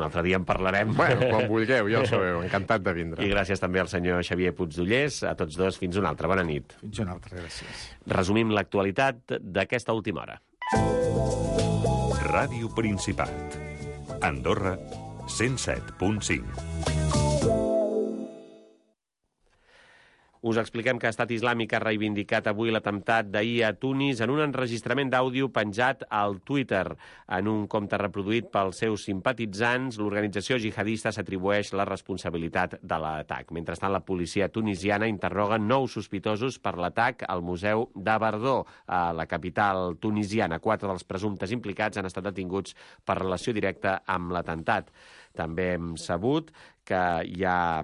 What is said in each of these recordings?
altre dia en parlarem. Bueno, quan vulgueu, ja ho sabeu, encantat de vindre. I gràcies també al senyor Xavier Puigdollers. A tots dos, fins una altra. Bona nit. Fins una altra, gràcies. Resumim l'actualitat d'aquesta última hora. Ràdio Principat. Andorra, 107.5. Us expliquem que Estat Islàmic ha reivindicat avui l'atemptat d'ahir a Tunis en un enregistrament d'àudio penjat al Twitter. En un compte reproduït pels seus simpatitzants, l'organització jihadista s'atribueix la responsabilitat de l'atac. Mentrestant, la policia tunisiana interroga 9 sospitosos per l'atac al Museu de Bardó, a la capital tunisiana. 4 dels presumptes implicats han estat detinguts per relació directa amb l'atemptat. També hem sabut que hi ha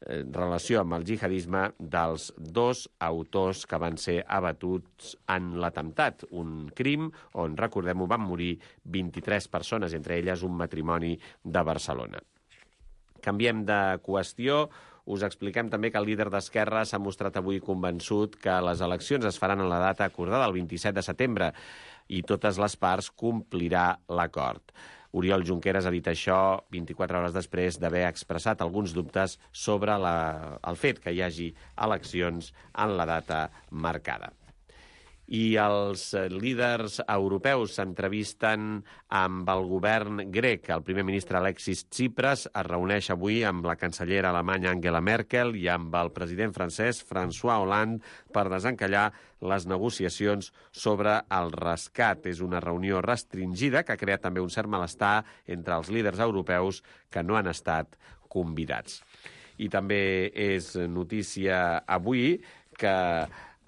relació amb el jihadisme dels 2 autors que van ser abatuts en l'atemptat. Un crim on, recordem-ho, van morir 23 persones, entre elles un matrimoni de Barcelona. Canviem de qüestió. Us expliquem també que el líder d'Esquerra s'ha mostrat avui convençut que les eleccions es faran en la data acordada, el 27 de setembre, i totes les parts complirà l'acord. Oriol Junqueras ha dit això 24 hores després d'haver expressat alguns dubtes sobre el fet que hi hagi eleccions en la data marcada. I els líders europeus s'entrevisten amb el govern grec. El primer ministre Alexis Tsipras es reuneix avui amb la cancellera alemanya Angela Merkel i amb el president francès François Hollande per desencallar les negociacions sobre el rescat. És una reunió restringida que ha creat també un cert malestar entre els líders europeus que no han estat convidats. I també és notícia avui que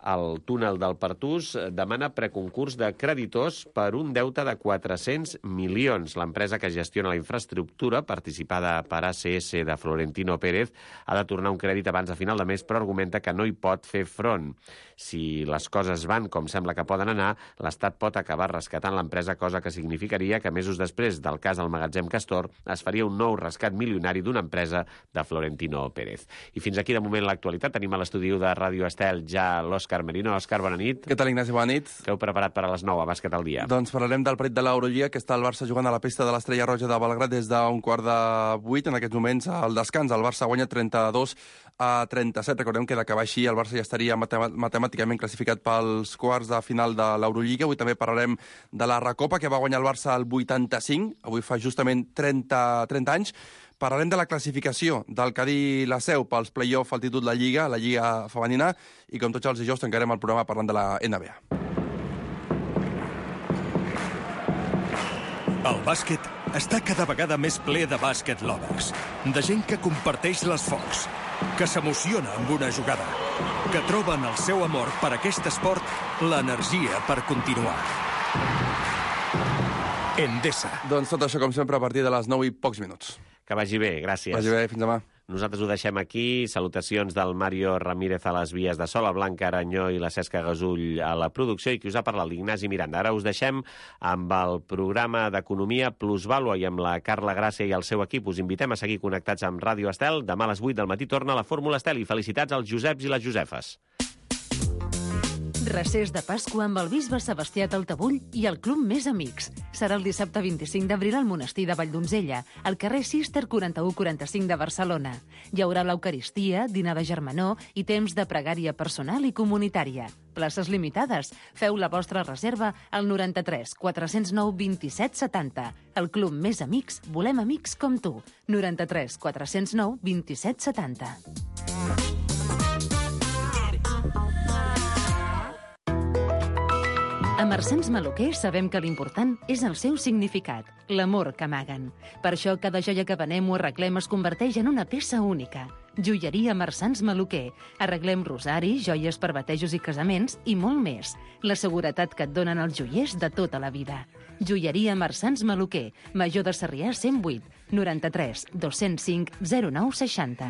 el túnel del Pertús demana preconcurs de creditors per un deute de 400 milions. L'empresa que gestiona la infraestructura, participada per ACS de Florentino Pérez, ha de tornar un crèdit abans de final de mes, però argumenta que no hi pot fer front. Si les coses van com sembla que poden anar, l'Estat pot acabar rescatant l'empresa, cosa que significaria que mesos després del cas del magatzem Castor es faria un nou rescat milionari d'una empresa de Florentino Pérez. I fins aquí, de moment, l'actualitat. Tenim a l'estudi de Ràdio Estel ja l'Òscar Merino. Òscar, bona nit. Què tal, Ignasi? Bona nit. Què heu preparat per a les 9 a Bàsquet al dia? Doncs parlarem del partit de l'Eurolliga, que està el Barça jugant a la pista de l'Estrella Roja de Belgrad des d'un 7:15. En aquests moments, al descans, el Barça guanya 32-37. Recordem que d'acabar així, el Barça ja estaria matemàticament classificat pels quarts de final de l'Eurolliga. Avui també parlarem de la Recopa, que va guanyar el Barça al 85. Avui fa justament 30 anys. Parlarem de la classificació del Cadí la Seu pels play-off al títol de la Lliga femenina, i com tots els dijous tancarem el programa parlant de la NBA. El bàsquet està cada vegada més ple de bàsquet lovers, de gent que comparteix les focs, que s'emociona amb una jugada, que troben el seu amor per aquest esport l'energia per continuar. Endesa. Doncs tot això, com sempre, a partir de les 9 i pocs minuts. Que vagi bé, gràcies. Vagi bé, fins demà. Nosaltres ho deixem aquí. Salutacions del Mario Ramírez a les vies de so, la Blanca Aranyó i la Cesca Gasull a la producció, i qui us ha parlat, l'Ignasi Miranda. Ara us deixem amb el programa d'Economia Plusvàlua i amb la Carla Gràcia i el seu equip. Us invitem a seguir connectats amb Ràdio Estel. Demà a les 8 del matí torna la Fórmula Estel, i felicitats als Joseps i les Josefes. Recés de Pasqua amb el bisbe Sebastià Taltabull i el Club Més Amics. Serà el dissabte 25 d'abril al monestir de Valldonzella, al carrer Cister 4145 de Barcelona. Hi haurà l'Eucaristia, dinar de germanor i temps de pregària personal i comunitària. Places limitades. Feu la vostra reserva al 93 409 27 70. El Club Més Amics, volem amics com tu. 93 409 27 70. A Marsans Maluquer sabem que l'important és el seu significat, l'amor que amaguen. Per això cada joia que venem o arreglem es converteix en una peça única. Joieria Marsans Maluquer. Arreglem rosari, joies per batejos i casaments i molt més. La seguretat que et donen els joiers de tota la vida. Joieria Marsans Maluquer. Major de Sarrià 108 93 205 09 60.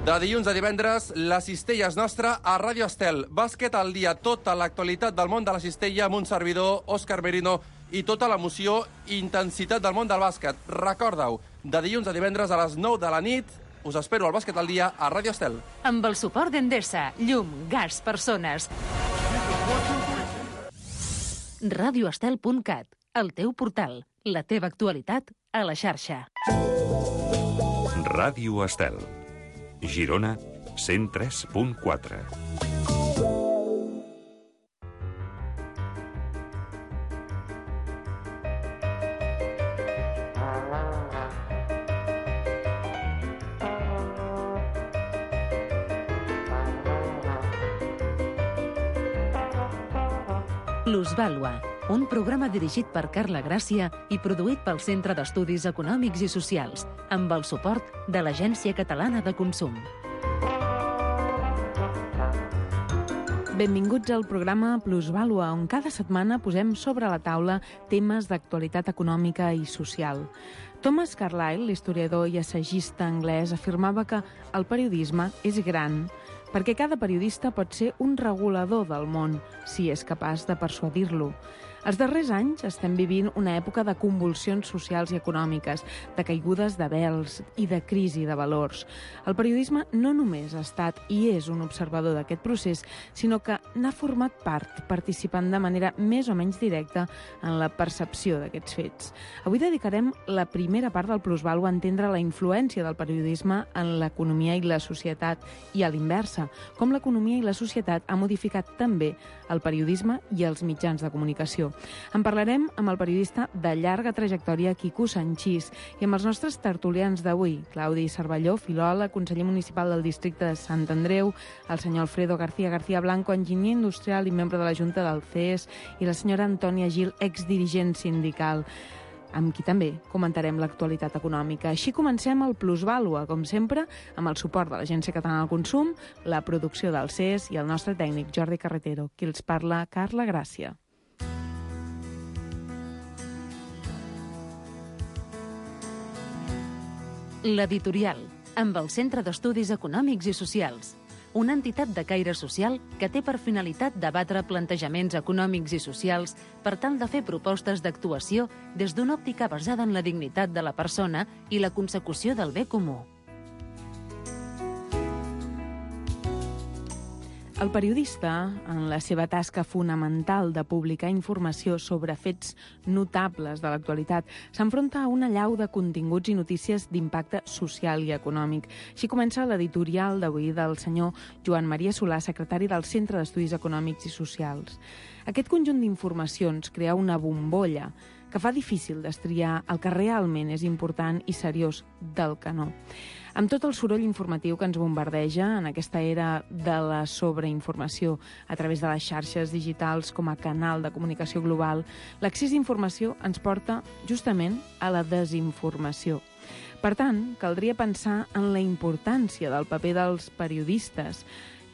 De dilluns a divendres, la cistella és nostra a Ràdio Estel. Bàsquet al dia, tota l'actualitat del món de la cistella amb un servidor, Òscar Merino, i tota l'emoció i intensitat del món del bàsquet. Recorda-ho, de dilluns a divendres a les 9 de la nit, us espero al Bàsquet al dia a Ràdio Estel. Amb el suport d'Endesa, llum, gas, persones. radioestel.cat, el teu portal, la teva actualitat a la xarxa. Ràdio Estel. Girona, 103.4. Plusvàlua, un programa dirigit per Carla Gràcia i produït pel Centre d'Estudis Econòmics i Socials, amb el suport de l'Agència Catalana de Consum. Benvinguts al programa Plusvàlua, on cada setmana posem sobre la taula temes d'actualitat econòmica i social. Thomas Carlyle, l'historiador i assagista anglès, afirmava que el periodisme és gran perquè cada periodista pot ser un regulador del món, si és capaç de persuadir-lo. Els darrers anys estem vivint una època de convulsions socials i econòmiques, de caigudes de vels i de crisi de valors. El periodisme no només ha estat i és un observador d'aquest procés, sinó que n'ha format part, participant de manera més o menys directa en la percepció d'aquests fets. Avui dedicarem la primera part del Plusvàlua a entendre la influència del periodisme en l'economia i la societat, i a l'inversa, com l'economia i la societat ha modificat també el periodisme i els mitjans de comunicació. En parlarem amb el periodista de llarga trajectòria Quico Sanchís i amb els nostres tertulians d'avui, Claudi Cervelló, filòleg, conseller municipal del districte de Sant Andreu, el senyor Alfredo García Blanco, enginyer industrial i membre de la Junta del CES, i la senyora Antònia Gil, exdirigent sindical, amb qui també comentarem l'actualitat econòmica. Així comencem el Plusvàlua, com sempre, amb el suport de l'Agència Catalana del Consum, la producció del CES i el nostre tècnic Jordi Carretero. Qui els parla, Carla Gràcia. L'editorial, amb el Centre d'Estudis Econòmics i Socials, una entitat de caire social que té per finalitat debatre plantejaments econòmics i socials per tal de fer propostes d'actuació des d'una òptica basada en la dignitat de la persona i la consecució del bé comú. El periodista, en la seva tasca fonamental de publicar informació sobre fets notables de l'actualitat, s'enfronta a una allau de continguts i notícies d'impacte social i econòmic. Així comença l'editorial d'avui del senyor Joan Maria Solà, secretari del Centre d'Estudis Econòmics i Socials. Aquest conjunt d'informacions crea una bombolla que fa difícil destriar el que realment és important i seriós del que no. Amb tot el soroll informatiu que ens bombardeja en aquesta era de la sobreinformació a través de les xarxes digitals com a canal de comunicació global, l'accés a informació ens porta justament a la desinformació. Per tant, caldria pensar en la importància del paper dels periodistes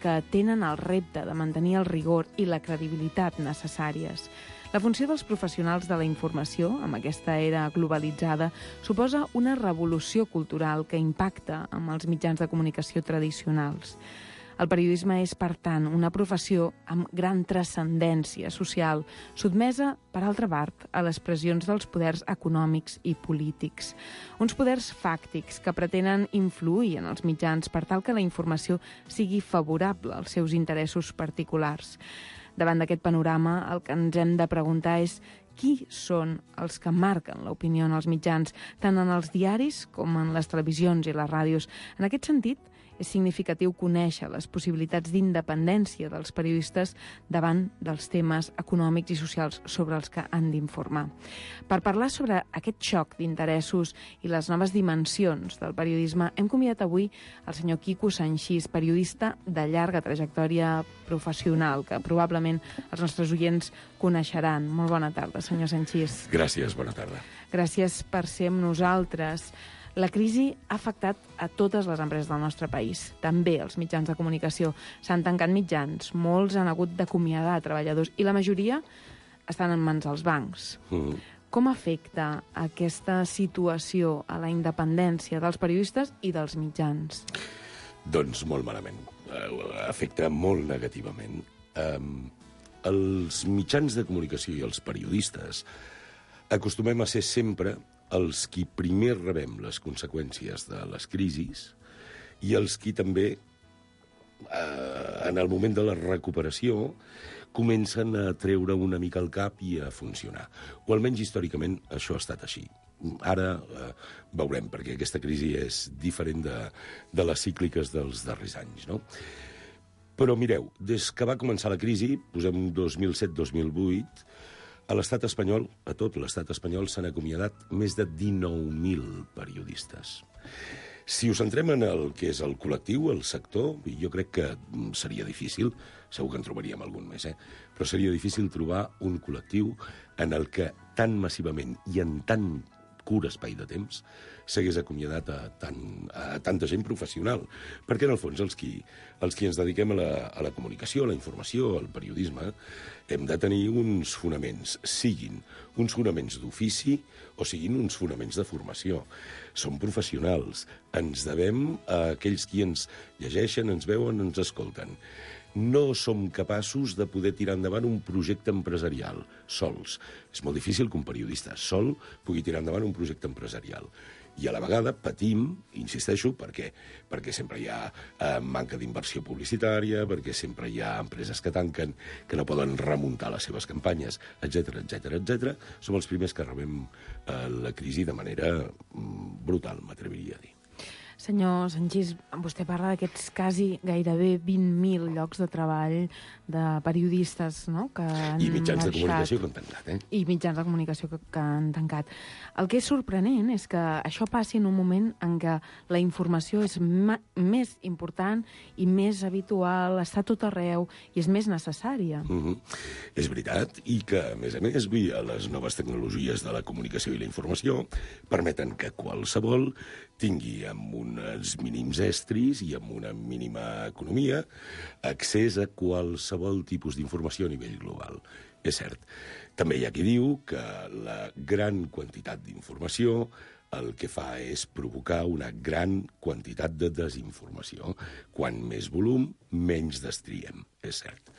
que tenen el repte de mantenir el rigor i la credibilitat necessàries. La funció dels professionals de la informació, amb aquesta era globalitzada, suposa una revolució cultural que impacta amb els mitjans de comunicació tradicionals. El periodisme és, per tant, una professió amb gran transcendència social, sotmesa, per altra part, a les pressions dels poders econòmics i polítics. Uns poders fàctics que pretenen influir en els mitjans per tal que la informació sigui favorable als seus interessos particulars. Davant d'aquest panorama, el que ens hem de preguntar és qui són els que marquen l'opinió en els mitjans, tant en els diaris com en les televisions i les ràdios. En aquest sentit, és significatiu conèixer les possibilitats d'independència dels periodistes davant dels temes econòmics i socials sobre els que han d'informar. Per parlar sobre aquest xoc d'interessos i les noves dimensions del periodisme, hem convidat avui el senyor Quico Sanchís, periodista de llarga trajectòria professional, que probablement els nostres oients coneixeran. Molt bona tarda, senyor Sanchís. Gràcies, bona tarda. Gràcies per ser amb nosaltres. La crisi ha afectat a totes les empreses del nostre país, també els mitjans de comunicació. S'han tancat mitjans, molts han hagut d'acomiadar treballadors i la majoria estan en mans dels bancs. Com afecta aquesta situació a la independència dels periodistes i dels mitjans? Doncs molt malament. Afecta molt negativament. Els mitjans de comunicació i els periodistes acostumem a ser sempre els qui primer rebem les conseqüències de les crisis i els qui també, en el moment de la recuperació, comencen a treure una mica el cap i a funcionar. O almenys històricament això ha estat així. Ara veurem, perquè aquesta crisi és diferent de les cícliques dels darrers anys, no? Però mireu, des que va començar la crisi, posem 2007-2008, a l'estat espanyol, a tot l'estat espanyol, s'han acomiadat més de 19.000 periodistes. Si us centrem en el que és el col·lectiu, el sector, jo crec que seria difícil, segur que en trobaríem algun més, però seria difícil trobar un col·lectiu en el que tan massivament i en tan curt espai de temps s'hagués acomiadat a tanta gent professional. Perquè, en el fons, els qui ens dediquem a la comunicació, a la informació, al periodisme, hem de tenir uns fonaments, siguin uns fonaments d'ofici o siguin uns fonaments de formació. Som professionals, ens devem a aquells qui ens llegeixen, ens veuen, ens escolten. No som capaços de poder tirar endavant un projecte empresarial sols. És molt difícil que un periodista sol pugui tirar endavant un projecte empresarial. I a la vegada patim, insisteixo, perquè sempre hi ha manca d'inversió publicitària, perquè sempre hi ha empreses que tanquen, que no poden remuntar les seves campanyes, etc. Som els primers que rebem la crisi de manera brutal, m'atreviria a dir. Senyor Sanchis, vostè parla d'aquests gairebé 20.000 llocs de treball de periodistes, no?, que han I mitjans de marxat. comunicació que han tancat, I mitjans de comunicació que han tancat. El que és sorprenent és que això passi en un moment en què la informació és més important i més habitual, està a tot arreu i és més necessària. És veritat, i que, a més, les noves tecnologies de la comunicació i la informació permeten que qualsevol tingui amb uns mínims estris i amb una mínima economia accés a qualsevol tipus d'informació a nivell global. És cert. També hi ha qui diu que la gran quantitat d'informació el que fa és provocar una gran quantitat de desinformació. Quan més volum, menys destriem, és cert.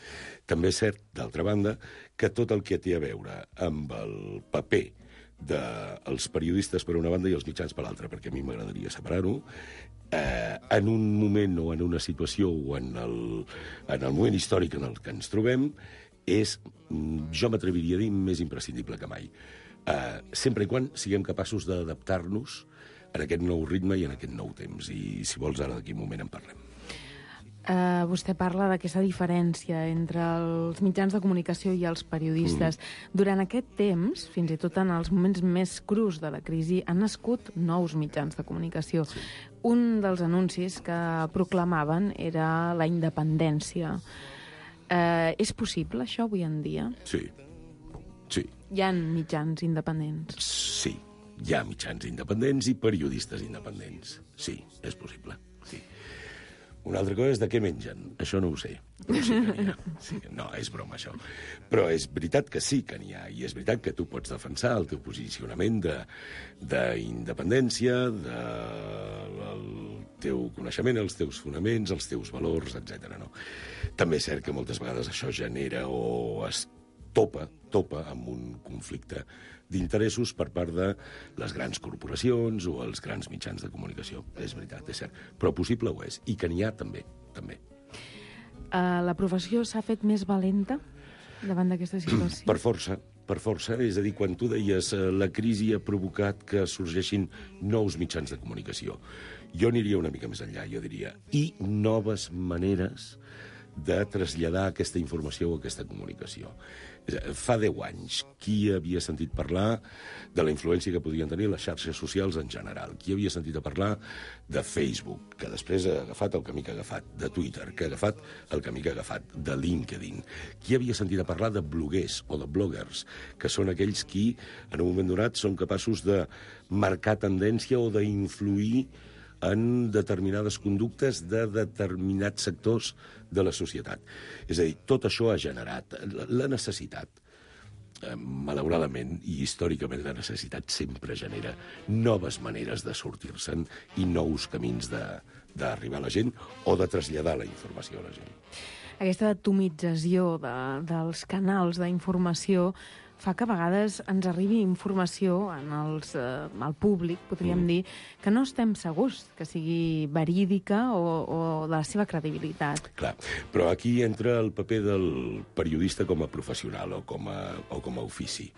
També és cert, d'altra banda, que tot el que té a veure amb el paper dels periodistes per una banda i els mitjans per l'altra, perquè a mi m'agradaria separar-ho, en un moment o en una situació o en el moment històric en el que ens trobem, és, jo m'atreviria a dir, més imprescindible que mai. Sempre i quan siguem capaços d'adaptar-nos en aquest nou ritme i en aquest nou temps. I, si vols, ara d'aquí un moment en parlem. Vostè parla d'aquesta diferència entre els mitjans de comunicació i els periodistes. Durant aquest temps, fins i tot en els moments més crus de la crisi, han nascut nous mitjans de comunicació. Sí. Un dels anuncis que proclamaven era la independència. És possible, això, avui en dia? Sí. Hi ha mitjans independents? Sí, hi ha mitjans independents i periodistes independents. Sí, és possible, sí. Una altra cosa és de què mengen. Això no ho sé. Però sí que n'hi ha. Sí, no, és broma, això. Però és veritat que sí que n'hi ha. I és veritat que tu pots defensar el teu posicionament d'independència, del teu coneixement, els teus fonaments, els teus valors, etc. No? També és cert que moltes vegades això genera o es topa amb un conflicte d'interessos per part de les grans corporacions o els grans mitjans de comunicació. És veritat, és cert. Però possible ho és. I que n'hi ha també. La professió s'ha fet més valenta davant d'aquesta situació? Per força. És a dir, quan tu deies la crisi ha provocat que sorgeixin nous mitjans de comunicació, jo aniria una mica més enllà. Jo diria, i noves maneres de traslladar aquesta informació o aquesta comunicació. Fa 10 anys, qui havia sentit parlar de la influència que podien tenir les xarxes socials en general? Qui havia sentit a parlar de Facebook, que després ha agafat el camí que ha agafat, de Twitter, que ha agafat el camí que ha agafat, de LinkedIn? Qui havia sentit a parlar de bloguers o de bloggers, que són aquells qui, en un moment donat, són capaços de marcar tendència o d'influir en determinades conductes de determinats sectors de la societat. És a dir, tot això ha generat la necessitat. Malauradament, i històricament, la necessitat sempre genera noves maneres de sortir-se'n i nous camins d'arribar a la gent o de traslladar la informació a la gent. Aquesta atomització dels canals d'informació fa que a vegades ens arribi informació al públic, podríem dir, que no estem segurs que sigui verídica o de la seva credibilitat. Clar, però aquí entra el paper del periodista com a professional o com a ofici.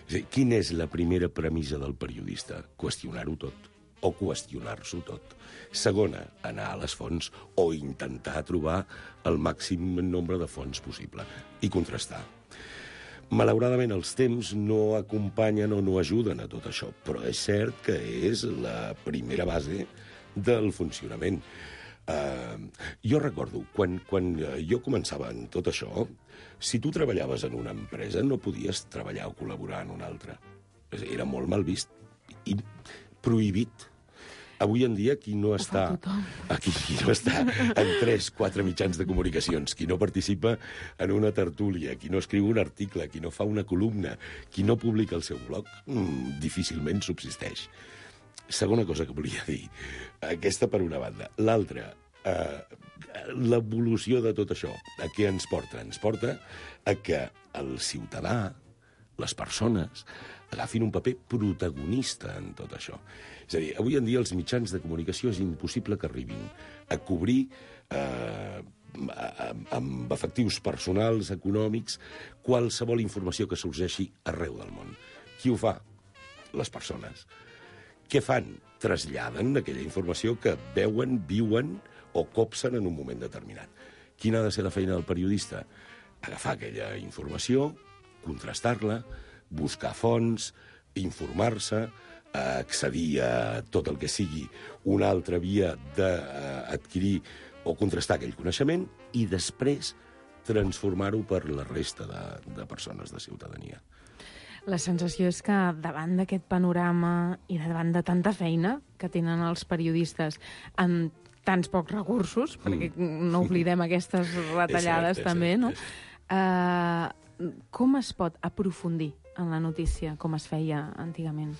És a dir, quina és la primera premissa del periodista? Qüestionar-ho tot, o qüestionar-s'ho tot. Segona, anar a les fonts o intentar trobar el màxim nombre de fonts possible i contrastar. Malauradament, els temps no acompanyen o no ajuden a tot això, però és cert que és la primera base del funcionament. Jo recordo, quan jo començava en tot això, si tu treballaves en una empresa no podies treballar o col·laborar en una altra. Era molt mal vist i prohibit. Avui en dia, qui no està en 3-4 mitjans de comunicacions, qui no participa en una tertúlia, qui no escriu un article, qui no fa una columna, qui no publica el seu blog, difícilment subsisteix. Segona cosa que volia dir, aquesta per una banda. L'altra, l'evolució de tot això, a què ens porta? Ens porta a que el ciutadà, les persones, agafin un paper protagonista en tot això. És a dir, avui en dia els mitjans de comunicació és impossible que arribin a cobrir amb efectius personals, econòmics, qualsevol informació que sorgeixi arreu del món. Qui ho fa? Les persones. Què fan? Traslladen aquella informació que veuen, viuen o copsen en un moment determinat. Quina ha de ser la feina del periodista? Agafar aquella informació, contrastar-la, buscar fonts, informar-se, accedir a tot el que sigui una altra via d'adquirir o contrastar aquell coneixement i després transformar-ho per la resta de persones de ciutadania. La sensació és que davant d'aquest panorama i davant de tanta feina que tenen els periodistes amb tants pocs recursos, perquè no oblidem aquestes retallades també, no? Com es pot aprofundir en la notícia, com es feia antigament?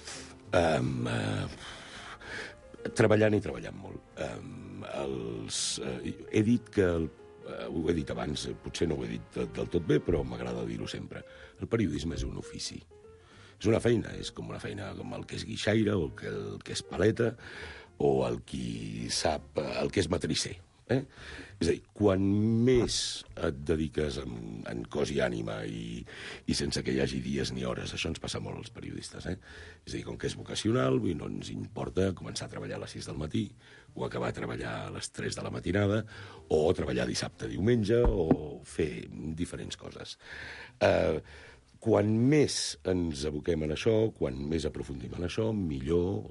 Treballant i treballant molt. He dit que, ho he dit abans, potser no ho he dit del tot bé, però m'agrada dir-ho sempre. El periodisme és un ofici. És una feina, és com una feina com el que és guixaire, o el que és paleta, o el qui sap, el que és matrisser. És a dir, quan més et dediques en cos i ànima i sense que hi hagi dies ni hores, això ens passa molt als periodistes, És a dir, com que és vocacional, no ens importa començar a treballar a les 6 del matí o acabar a treballar a les 3 de la matinada o treballar dissabte, diumenge o fer diferents coses. Quan més ens aboquem en això, quan més aprofundim en això, millor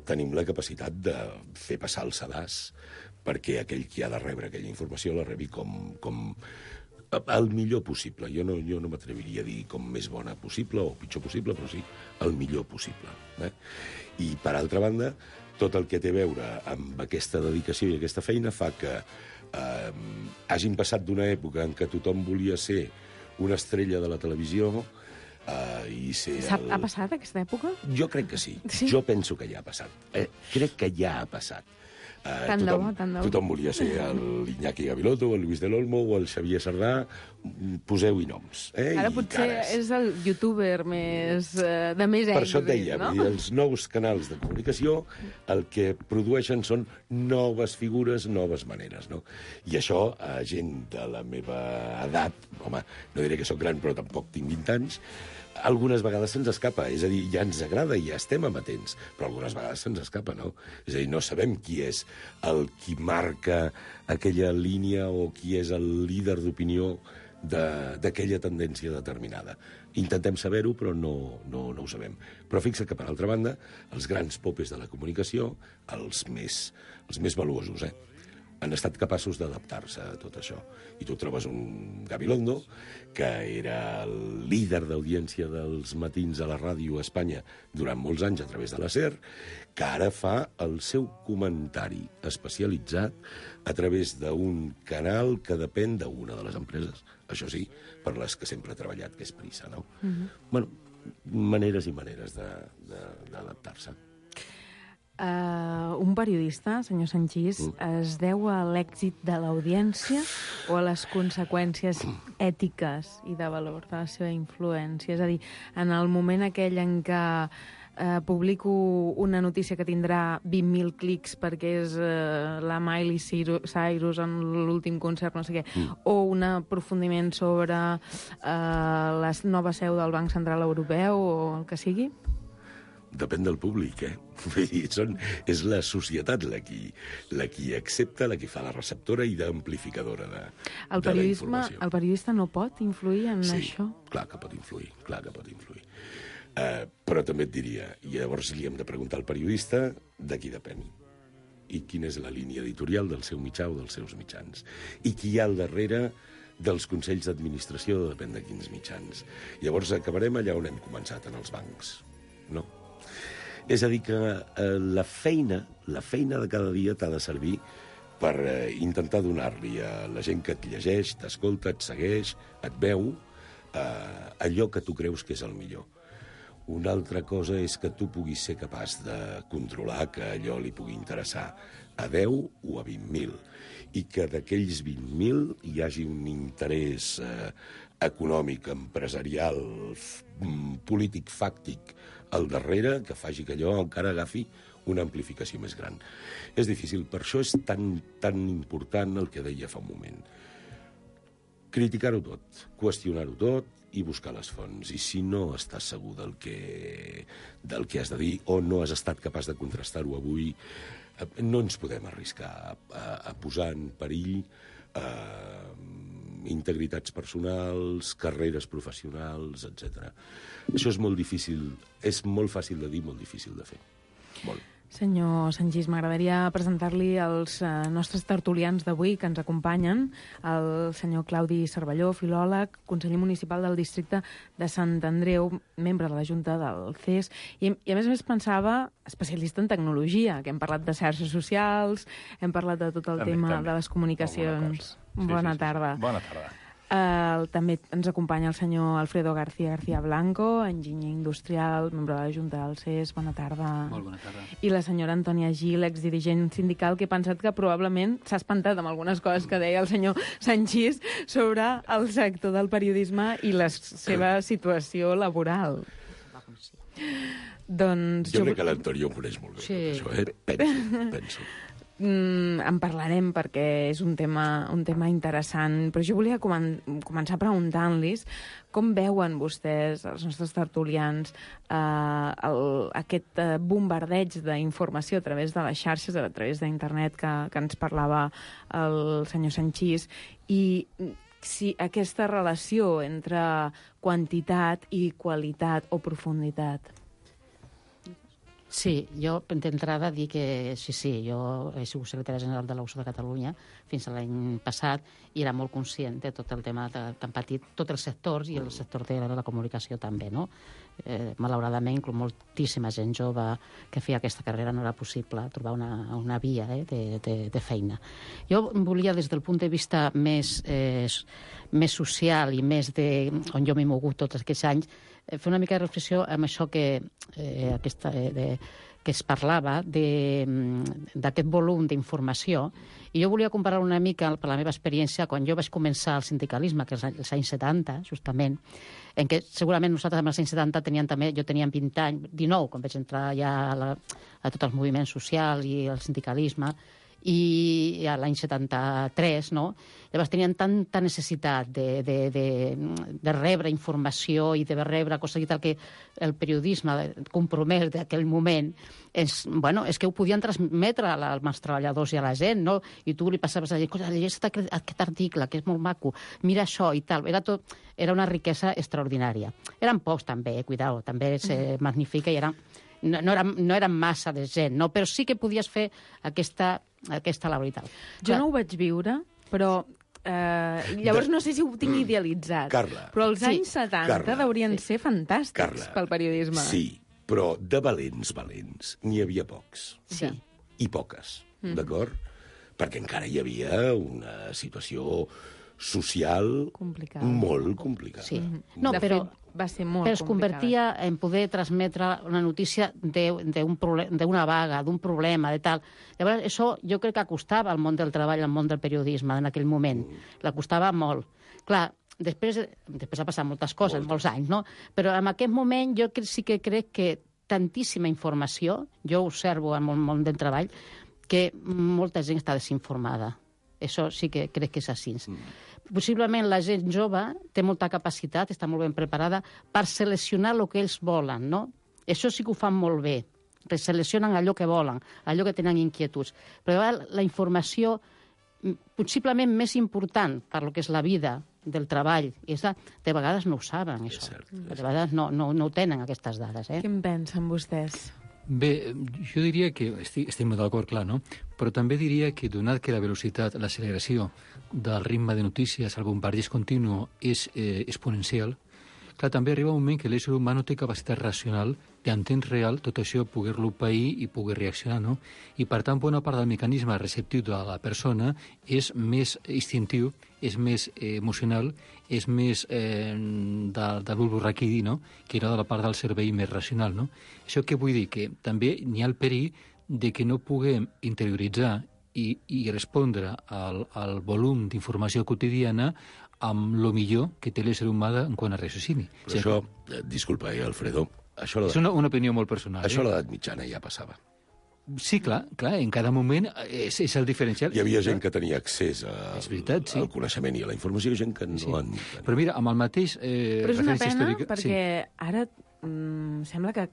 tenim la capacitat de fer passar el sedàs perquè aquell qui ha de rebre aquella informació la rebi com el millor possible. Jo no m'atreviria a dir com més bona possible o pitjor possible, però sí el millor possible. I, per altra banda, tot el que té a veure amb aquesta dedicació i aquesta feina fa que hagin passat d'una època en què tothom volia ser una estrella de la televisió i ser... Ha passat aquesta època? Jo crec que sí. Jo penso que ja ha passat. Crec que ja ha passat. Tant de bo. Tothom volia ser l'Iñaki Gabilondo, el Luis del Olmo o el Xavier Sardà. Poseu-hi noms. Ara potser és el youtuber de més èxit. Per això et deia, no? Els nous canals de comunicació el que produeixen són noves figures, noves maneres. No? I això, a gent de la meva edat, home, no diré que sóc gran, però tampoc tinc 20 anys, algunes vegades se'ns escapa, és a dir, ja ens agrada i ja estem amatents, però algunes vegades se'ns escapa, no? És a dir, no sabem qui és el qui marca aquella línia o qui és el líder d'opinió d'aquella tendència determinada. Intentem saber-ho, però no ho sabem. Però fixa't que, per altra banda, els grans popes de la comunicació, els més valuosos, han estat capaços d'adaptar-se a tot això. I tu trobes un Gabilondo, que era el líder d'audiència dels matins a la ràdio a Espanya durant molts anys a través de la SER, que ara fa el seu comentari especialitzat a través d'un canal que depèn d'una de les empreses, això sí, per les que sempre ha treballat, que és Prisa, no? Bueno, maneres i maneres d'adaptar-se. Un periodista, senyor Sanchis, es deu a l'èxit de l'audiència o a les conseqüències ètiques i de valor de la seva influència? És a dir, en el moment aquell en què publico una notícia que tindrà 20.000 clics perquè és la Miley Cyrus en l'últim concert, no sé què, o un aprofundiment sobre la nova seu del Banc Central Europeu o el que sigui? Depèn del públic, Vull dir, és la societat la qui accepta, la qui fa la receptora i d'amplificadora de la informació. El periodista no pot influir en això? Sí, clar que pot influir, però també et diria, i llavors li hem de preguntar al periodista de qui depèn i quina és la línia editorial del seu mitjà o dels seus mitjans i qui hi ha al darrere dels consells d'administració, depèn de quins mitjans. Llavors acabarem allà on hem començat, en els bancs, no? És a dir, que la feina de cada dia t'ha de servir per intentar donar-li a la gent que et llegeix, t'escolta, et segueix, et veu, allò que tu creus que és el millor. Una altra cosa és que tu puguis ser capaç de controlar que allò li pugui interessar a 10 o a 20.000 i que d'aquells 20.000 hi hagi un interès econòmic, empresarial, polític, fàctic al darrere que faci que allò encara agafi una amplificació més gran. És difícil, per això és tan important el que deia fa un moment. Criticar-ho tot, qüestionar-ho tot i buscar les fonts. I si no estàs segur del que has de dir o no has estat capaç de contrastar-ho avui, no ens podem arriscar a posar en perill integritats personals, carreres professionals, etc. Això és molt difícil, és molt fàcil de dir, molt difícil de fer. Molt. Senyor Sanchis, m'agradaria presentar-li els nostres tertulians d'avui que ens acompanyen, el senyor Claudi Cervelló, filòleg, conseller municipal del districte de Sant Andreu, membre de la Junta del CES, i a més pensava especialista en tecnologia, que hem parlat de xarxes socials, hem parlat de tot el tema de les comunicacions. Bona tarda. Bona tarda. També ens acompanya el senyor Alfredo García Blanco, enginyer industrial, membre de la Junta del CES. Bona tarda. Molt bona tarda. I la senyora Antònia Gil, exdirigent sindical, que he pensat que probablement s'ha espantat amb algunes coses que deia el senyor Sanchis sobre el sector del periodisme i la seva situació laboral. Doncs jo crec que l'Antònia ho coneix molt bé, tot això, penso. En parlarem perquè és un tema interessant, però jo volia començar preguntant-los com veuen vostès, els nostres tertulians, aquest bombardeig d'informació a través de les xarxes, a través d'internet que ens parlava el senyor Sanchis, i si aquesta relació entre quantitat i qualitat o profunditat. Sí, jo d'entrada dir que sí, jo he sigut secretària general de l'USO de Catalunya fins a l'any passat i era molt conscient de tot el tema que han patit tots els sectors i el sector de la comunicació també, no? Malauradament, inclús moltíssima gent jove que feia aquesta carrera no era possible trobar una via de feina. Jo volia, des del punt de vista més social i més on jo m'he mogut tots aquests anys, fer una mica de reflexió amb això que es parlava d'aquest volum d'informació, i jo volia comparar una mica, per la meva experiència, quan jo vaig començar el sindicalisme, que és als anys 70, justament, en què segurament nosaltres als anys 70 jo tenia 20 anys, 19, quan vaig entrar ja a tot el moviment social i el sindicalisme, i a l'any 73, no? Llavors tenien tanta necessitat de rebre informació i de rebre coses i tal, que el periodisme compromès d'aquell moment és que ho podien transmetre als treballadors i a la gent, no? I tu li passaves a dir, llegeix aquest article, que és molt maco, mira això i tal. Era una riquesa extraordinària. Eren pocs també, cuidao, també se magnifica i no eren massa de gent, no? Però sí que podies fer aquesta labor i tal. Jo no ho vaig viure, però llavors no sé si ho tinc idealitzat. Carla. Però els anys 70 deurien ser fantàstics pel periodisme. Sí, però de valents n'hi havia pocs. Sí. I poques, d'acord? Perquè encara hi havia una situació social molt complicada. Sí. No, però va ser molt Però es convertia en poder transmetre una notícia d'una vaga, d'un problema, de tal. Llavors, això jo crec que acostava al món del treball, al món del periodisme en aquell moment. L'acostava molt. Clar, després ha passat moltes coses, molts anys, no? Però en aquest moment jo sí que crec que tantíssima informació, jo observo en el món del treball, que molta gent està desinformada. Això sí que crec que és així. Possiblement la gent jove té molta capacitat, està molt ben preparada per seleccionar el que ells volen, no? Això sí que ho fan molt bé. Seleccionen allò que volen, allò que tenen inquietuds. Però la informació possiblement més important per lo que és la vida del treball, de vegades no ho saben, això. De vegades no ho tenen, aquestes dades. Què en pensen vostès? Bé, jo diria que estem d'acord, clar, no? Però també diria que, donat que la velocitat, l'acceleració del ritme de notícies, el bombardeig continu és exponencial, clar, també arriba un moment que l'ésser humà no té capacitat racional en temps real tot això poder-lo pair i poder reaccionar, no? I, per tant, bona part del mecanisme receptiu de la persona és més instintiu, és més emocional, és més del bulbo raquidi, no?, que no de la part del cervell més racional, no? Això què vull dir? Que també n'hi ha el perill de que no puguem interioritzar i respondre al volum d'informació quotidiana amb lo millor que té l'ésser humà en quant a raciocini. Però això, disculpa, Alfredo, és una opinió molt personal. Això a l'edat mitjana ja passava. Sí, clar, en cada moment és el diferencial. Hi havia gent que tenia accés al coneixement i a la informació, i gent que no en tenia. Però mira, amb el mateix... Però és una pena, perquè ara sembla que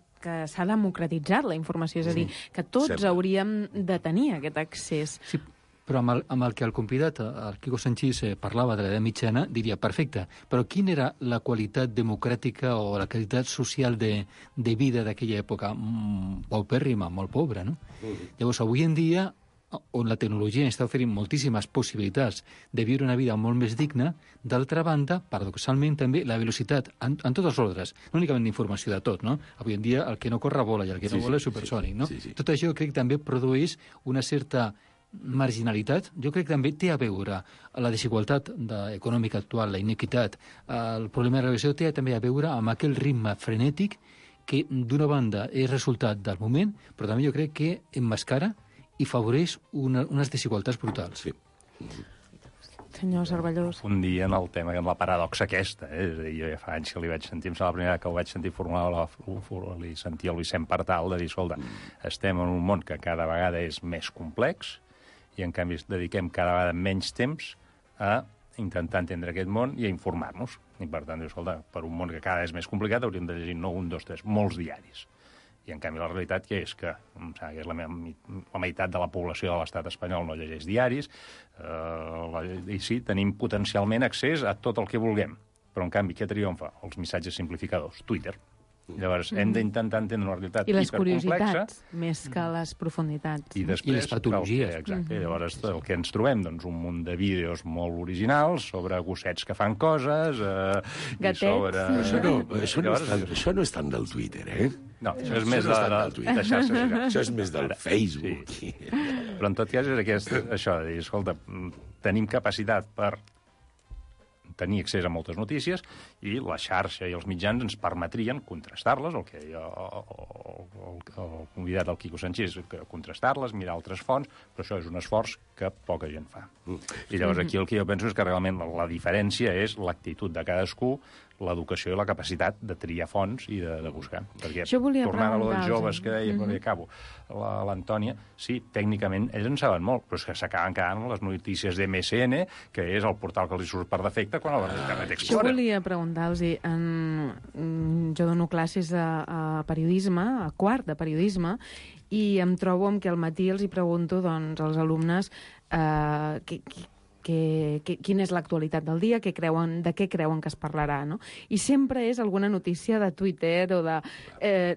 s'ha democratitzat la informació, és a dir, que tots hauríem de tenir aquest accés. Sí, però amb el que el convidat, el Quico Sanchis, parlava de l'edat mitjana, diria, perfecte, però quina era la qualitat democràtica o la qualitat social de vida d'aquella època? Paupèrrima, molt pobra, no? Llavors, avui en dia, on la tecnologia està oferint moltíssimes possibilitats de viure una vida molt més digna, d'altra banda, paradoxalment, també la velocitat, en tots els ordres, no únicament d'informació de tot, no? Avui en dia el que no corre vola i el que no vola és supersònic, no? Tot això crec que també produeix una certa marginalitat. Jo crec que també té a veure la desigualtat econòmica actual, la inequitat, el problema de la relació té també a veure amb aquell ritme frenètic que d'una banda és resultat del moment, però també jo crec que emmascara i favoreix unes desigualtats brutals. Sí. Senyor Cervellós. Un dia en el tema, en la paradoxa aquesta, és a dir, jo ja fa anys que li vaig sentir, em sembla la primera que ho vaig sentir formular, li sentia el Vicent Partal de dir, escolta, estem en un món que cada vegada és més complex i en canvi dediquem cada vegada menys temps a intentar entendre aquest món i a informar-nos. I per tant, escolta, per un món que cada vegada és més complicat hauríem de llegir no un, dos, tres, molts diaris. I en canvi la realitat que és que és la meitat de la població de l'estat espanyol no llegeix diaris, i sí, tenim potencialment accés a tot el que vulguem, però en canvi què triomfa? Els missatges simplificadors, Twitter. Llavors hem d'intentar entendre una realitat hipercomplexa. I les curiositats, més que les profunditats. I després, les patologies. Exacte. Llavors el que ens trobem, doncs, un munt de vídeos molt originals sobre gossets que fan coses, gatets. I sobre... Això no és tant del Twitter, eh? No, això és més de xarxes socials. Això és més del Facebook. Sí. Però en tot cas és això, de dir, escolta, tenim capacitat per tenir accés a moltes notícies i la xarxa i els mitjans ens permetrien contrastar-les, el que deia el convidat del Quico Sanchis, contrastar-les, mirar altres fonts, però això és un esforç que poca gent fa. I llavors aquí el que jo penso és que realment la diferència és l'actitud de cadascú, l'educació i la capacitat de triar fonts i de buscar. Perquè, tornant a dels joves que deia, quan acabo, l'Antònia, sí, tècnicament ells en saben molt, però és que s'acaben quedant les notícies d'MSN, que és el portal que els surt per defecte quan el Internet Explorer. Jo volia preguntar-los, jo dono classes a periodisme, a quart de periodisme, i em trobo amb que al matí els hi pregunto doncs, als alumnes quina és l'actualitat del dia, de què creuen que es parlarà, no? I sempre és alguna notícia de Twitter o de...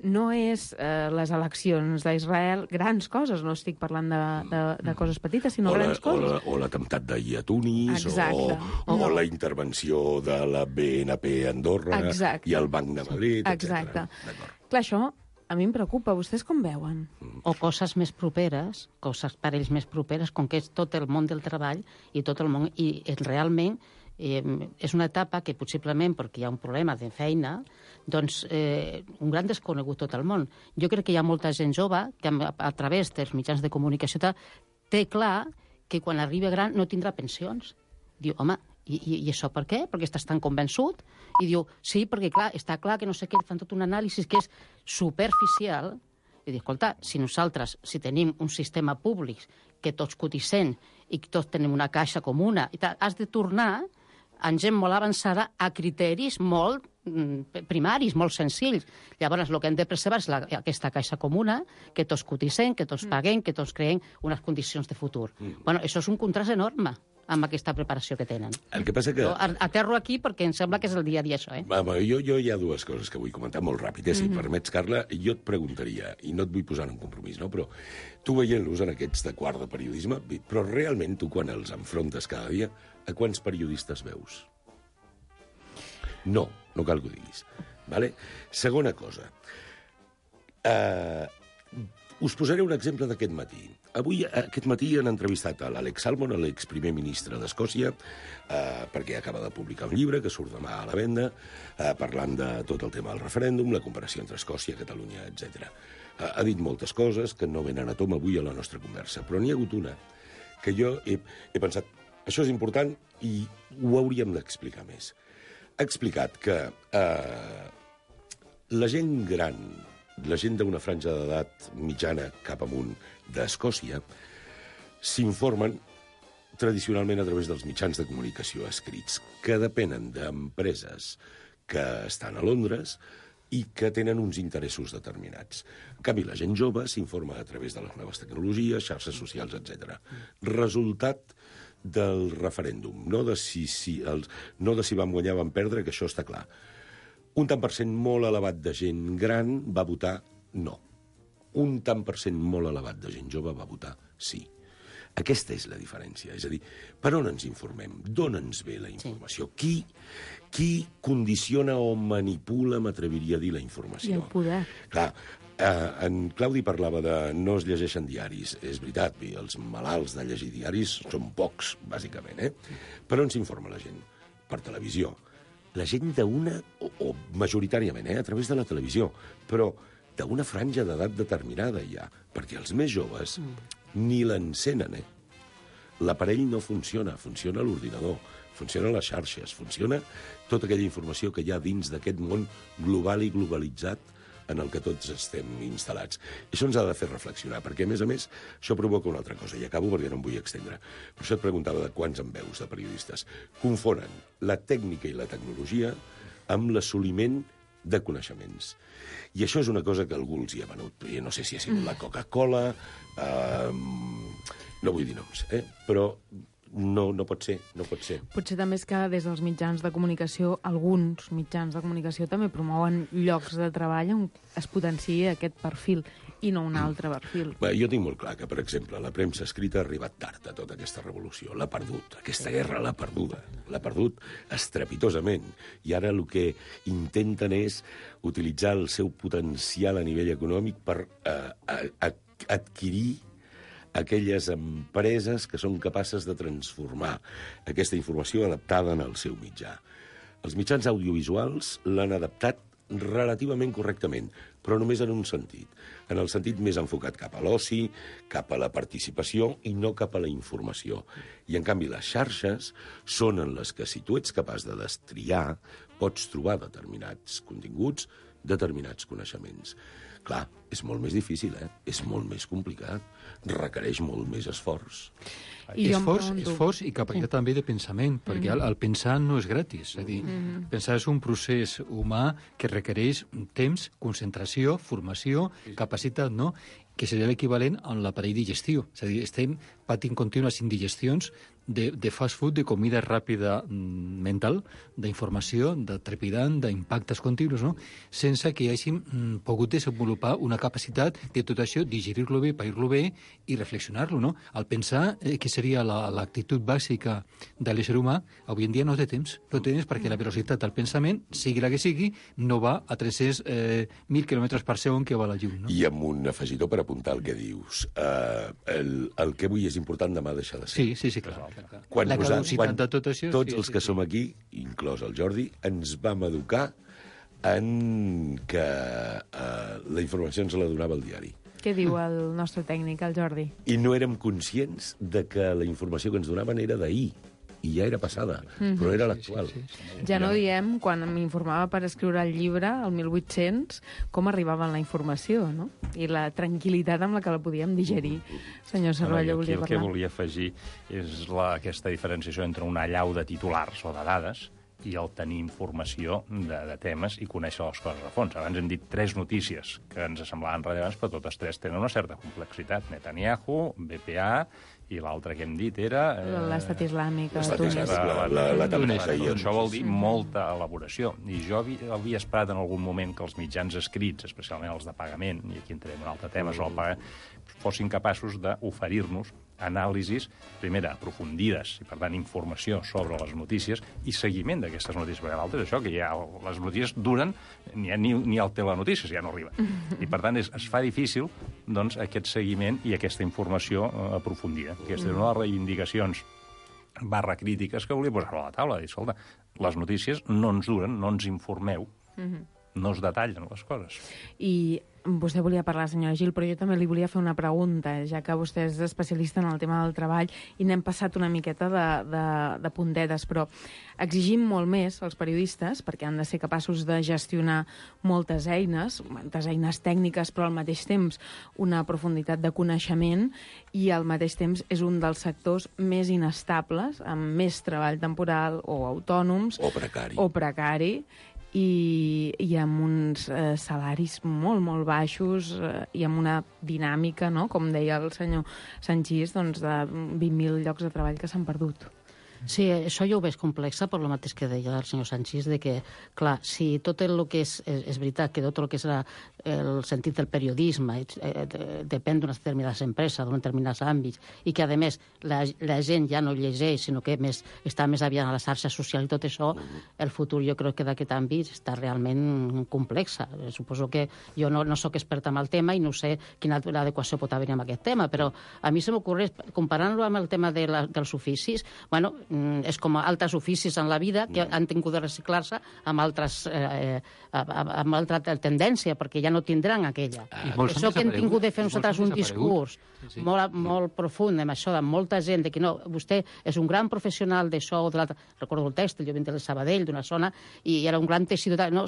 no és les eleccions d'Israel, grans coses, no estic parlant de coses petites, sinó grans coses. O l'atemptat d'ahir a Tunis, o la intervenció de la BNP a Andorra i el Banc de Madrid, etc. Exacte. Clar, això a mi em preocupa. Vostès com veuen? O coses més properes, coses per ells més properes, com que és tot el món del treball i tot el món... I realment és una etapa que possiblement, perquè hi ha un problema de feina, doncs un gran desconegut tot el món. Jo crec que hi ha molta gent jove que a través dels mitjans de comunicació té clar que quan arriba gran no tindrà pensions. Diu, home, i això per què? Perquè estàs tan convençut? I diu, sí, perquè clar, està clar que no sé què, fan tot un anàlisi que és superficial. I diu, escolta, si nosaltres, si tenim un sistema públic que tots cotitzem i que tots tenim una caixa comuna, has de tornar amb gent molt avançada a criteris molt primaris, molt senzills. Llavors, el que hem de preservar és aquesta caixa comuna, que tots cotitzem, que tots paguem, que tots creem unes condicions de futur. Bueno, això és un contrast enorme amb aquesta preparació que tenen. El que passa que... Aterro aquí perquè em sembla que és el dia a dia, això. Jo hi ha dues coses que vull comentar molt ràpid. Si permets, Carla, jo et preguntaria, i no et vull posar en compromís, no? Però tu veient-los en aquests de quart de periodisme, però realment tu quan els enfrontes cada dia, a quants periodistes veus? No cal que ho diguis. Vale? Segona cosa. Us posaré un exemple d'aquest matí. Aquest matí han entrevistat a l'Alex Salmond, l'exprimer ministre d'Escòcia, perquè acaba de publicar un llibre que surt demà a la venda, parlant de tot el tema del referèndum, la comparació entre Escòcia, Catalunya, etc. Ha dit moltes coses que no venen a tom avui a la nostra conversa, però n'hi ha hagut una que jo he pensat, això és important i ho hauríem d'explicar més. Ha explicat que la gent gran, la gent d'una franja d'edat mitjana cap amunt d'Escòcia, s'informen tradicionalment a través dels mitjans de comunicació escrits, que depenen d'empreses que estan a Londres i que tenen uns interessos determinats. En canvi, la gent jove s'informa a través de les noves tecnologies, xarxes socials, etc. Resultat del referèndum, no de si vam guanyar o vam perdre, que això està clar. Un tant per cent molt elevat de gent gran va votar no. Un tant per cent molt elevat de gent jove va votar sí. Aquesta és la diferència. És a dir, per on ens informem? D'on ens ve la informació? Sí. Qui condiciona o manipula, m'atreviria a dir, la informació? I el poder. Clar, en Claudi parlava de no es llegeixen diaris. És veritat, els malalts de llegir diaris són pocs, bàsicament. Per on s'informa la gent? Per televisió. La gent d'una, o majoritàriament, a través de la televisió, però d'una franja d'edat determinada ja, perquè els més joves ni l'encenen, L'aparell no funciona, funciona l'ordinador, funcionen les xarxes, funciona tota aquella informació que hi ha dins d'aquest món global i globalitzat en el que tots estem instal·lats. Això ens ha de fer reflexionar, perquè, a més, això provoca una altra cosa, i acabo perquè no em vull extendre. Per això et preguntava de quants en veus de periodistes. Confonen la tècnica i la tecnologia amb l'assoliment de coneixements. I això és una cosa que algú els hi ha venut. Jo no sé si ha sigut la Coca-Cola, no vull dir noms, però no pot ser, no pot ser. Potser també és que des dels mitjans de comunicació, alguns mitjans de comunicació també promouen llocs de treball on es potenciï aquest perfil i no un altre perfil. Bé, jo tinc molt clar que, per exemple, la premsa escrita ha arribat tard a tota aquesta revolució. L'ha perdut. Aquesta guerra l'ha perduda. L'ha perdut estrepitosament. I ara el que intenten és utilitzar el seu potencial a nivell econòmic per adquirir aquelles empreses que són capaces de transformar aquesta informació adaptada en el seu mitjà. Els mitjans audiovisuals l'han adaptat relativament correctament, però només en un sentit, en el sentit més enfocat cap a l'oci, cap a la participació i no cap a la informació. I, en canvi, les xarxes són en les que, si tu ets capaç de destriar, pots trobar determinats continguts, determinats coneixements. Clar, és molt més difícil, és molt més complicat, requereix molt més esforç. Esforç i capacitat també de pensament, perquè el pensar no és gratis. És a dir, pensar és un procés humà que requereix temps, concentració, formació, capacitat, no?, que seria l'equivalent a l'aparell digestiu. És a dir, estem patint contínues indigestions de fast food, de comida ràpida mental, d'informació, de trepidant, d'impactes continus, no?, sense que hàgim pogut desenvolupar una capacitat de tot això, digerir-lo bé, pair-lo bé i reflexionar-lo, no? El pensar, que seria l'actitud bàsica de l'ésser humà, avui en dia no té temps. No té temps perquè la velocitat del pensament, sigui la que sigui, no va a 300.000 km per segon que va la llum, no? I amb un afegitó per apuntar el que dius. El que avui és important, demà deixa de ser. Sí, clar. Quan la caducitat de tot això... Tots els que som aquí, inclòs el Jordi, ens vam educar en que la informació ens la donava el diari. Què diu el nostre tècnic, el Jordi? I no érem conscients de que la informació que ens donaven era d'ahir. I ja era passada, però era l'actual. Ja no diem, quan m'informava per escriure el llibre, el 1800, com arribava la informació, no? I la tranquil·litat amb la que la podíem digerir. Senyor Cervelló, volia parlar. El que volia afegir és aquesta diferenciació entre una allau de titulars o de dades i el tenir informació de temes i conèixer les coses a fons. Abans hem dit 3 notícies que ens semblaven rellevants, però totes 3 tenen una certa complexitat. Netanyahu, BPA, i l'altre que hem dit era... L'estat islàmic. La Túnez. Això vol dir molta elaboració. I jo havia esperat en algun moment que els mitjans escrits, especialment els de pagament, i aquí entrem en un altre tema, sobre el pagament, fossin capaços d'oferir-nos anàlisis, primera, aprofundides, i per tant informació sobre les notícies i seguiment d'aquestes notícies, perquè l'altre és això, que ja les notícies duren, ni el telenotícies ja no arriba. I per tant es fa difícil doncs, aquest seguiment i aquesta informació aprofundida. Aquesta és una de les reivindicacions /crítiques que volia posar a la taula. Dir, escolta, les notícies no ens duren, no ens informeu, no es detallen les coses. I vostè volia parlar, senyora Gil, però jo també li volia fer una pregunta, ja que vostè és especialista en el tema del treball i n'hem passat una miqueta de puntetes, però exigim molt més als periodistes perquè han de ser capaços de gestionar moltes eines tècniques, però al mateix temps una profunditat de coneixement i al mateix temps és un dels sectors més inestables, amb més treball temporal o autònoms o precari i amb uns salaris molt, molt baixos i amb una dinàmica, no? Com deia el senyor Sanchis, doncs de 20.000 llocs de treball que s'han perdut. Sí, això jo ho veig complexa, per lo mateix que deia el senyor Sanchis, de que, clar, si tot el que és veritat, que tot el que és el sentit del periodisme depèn d'unes determinades empreses, d'uns determinats àmbits, i que, a més, la gent ja no llegeix, sinó que està més aviat a les xarxes socials i tot això, el futur jo crec que d'aquest àmbit està realment complexa. Suposo que jo no sóc experta en el tema i no sé quina adequació pot haver en aquest tema, però a mi se m'ocorre, comparant-lo amb el tema dels oficis, bueno, és com altres oficis en la vida que han tingut de reciclar-se amb altra tendència, perquè ja no tindran aquella. Això que hem tingut de fer nosaltres un discurs molt profund amb això, de molta gent, de que no, vostè és un gran professional d'això o de l'altre. Recordo el tèxtil, jo vinc del Sabadell, d'una zona, i era un gran teixidor, no,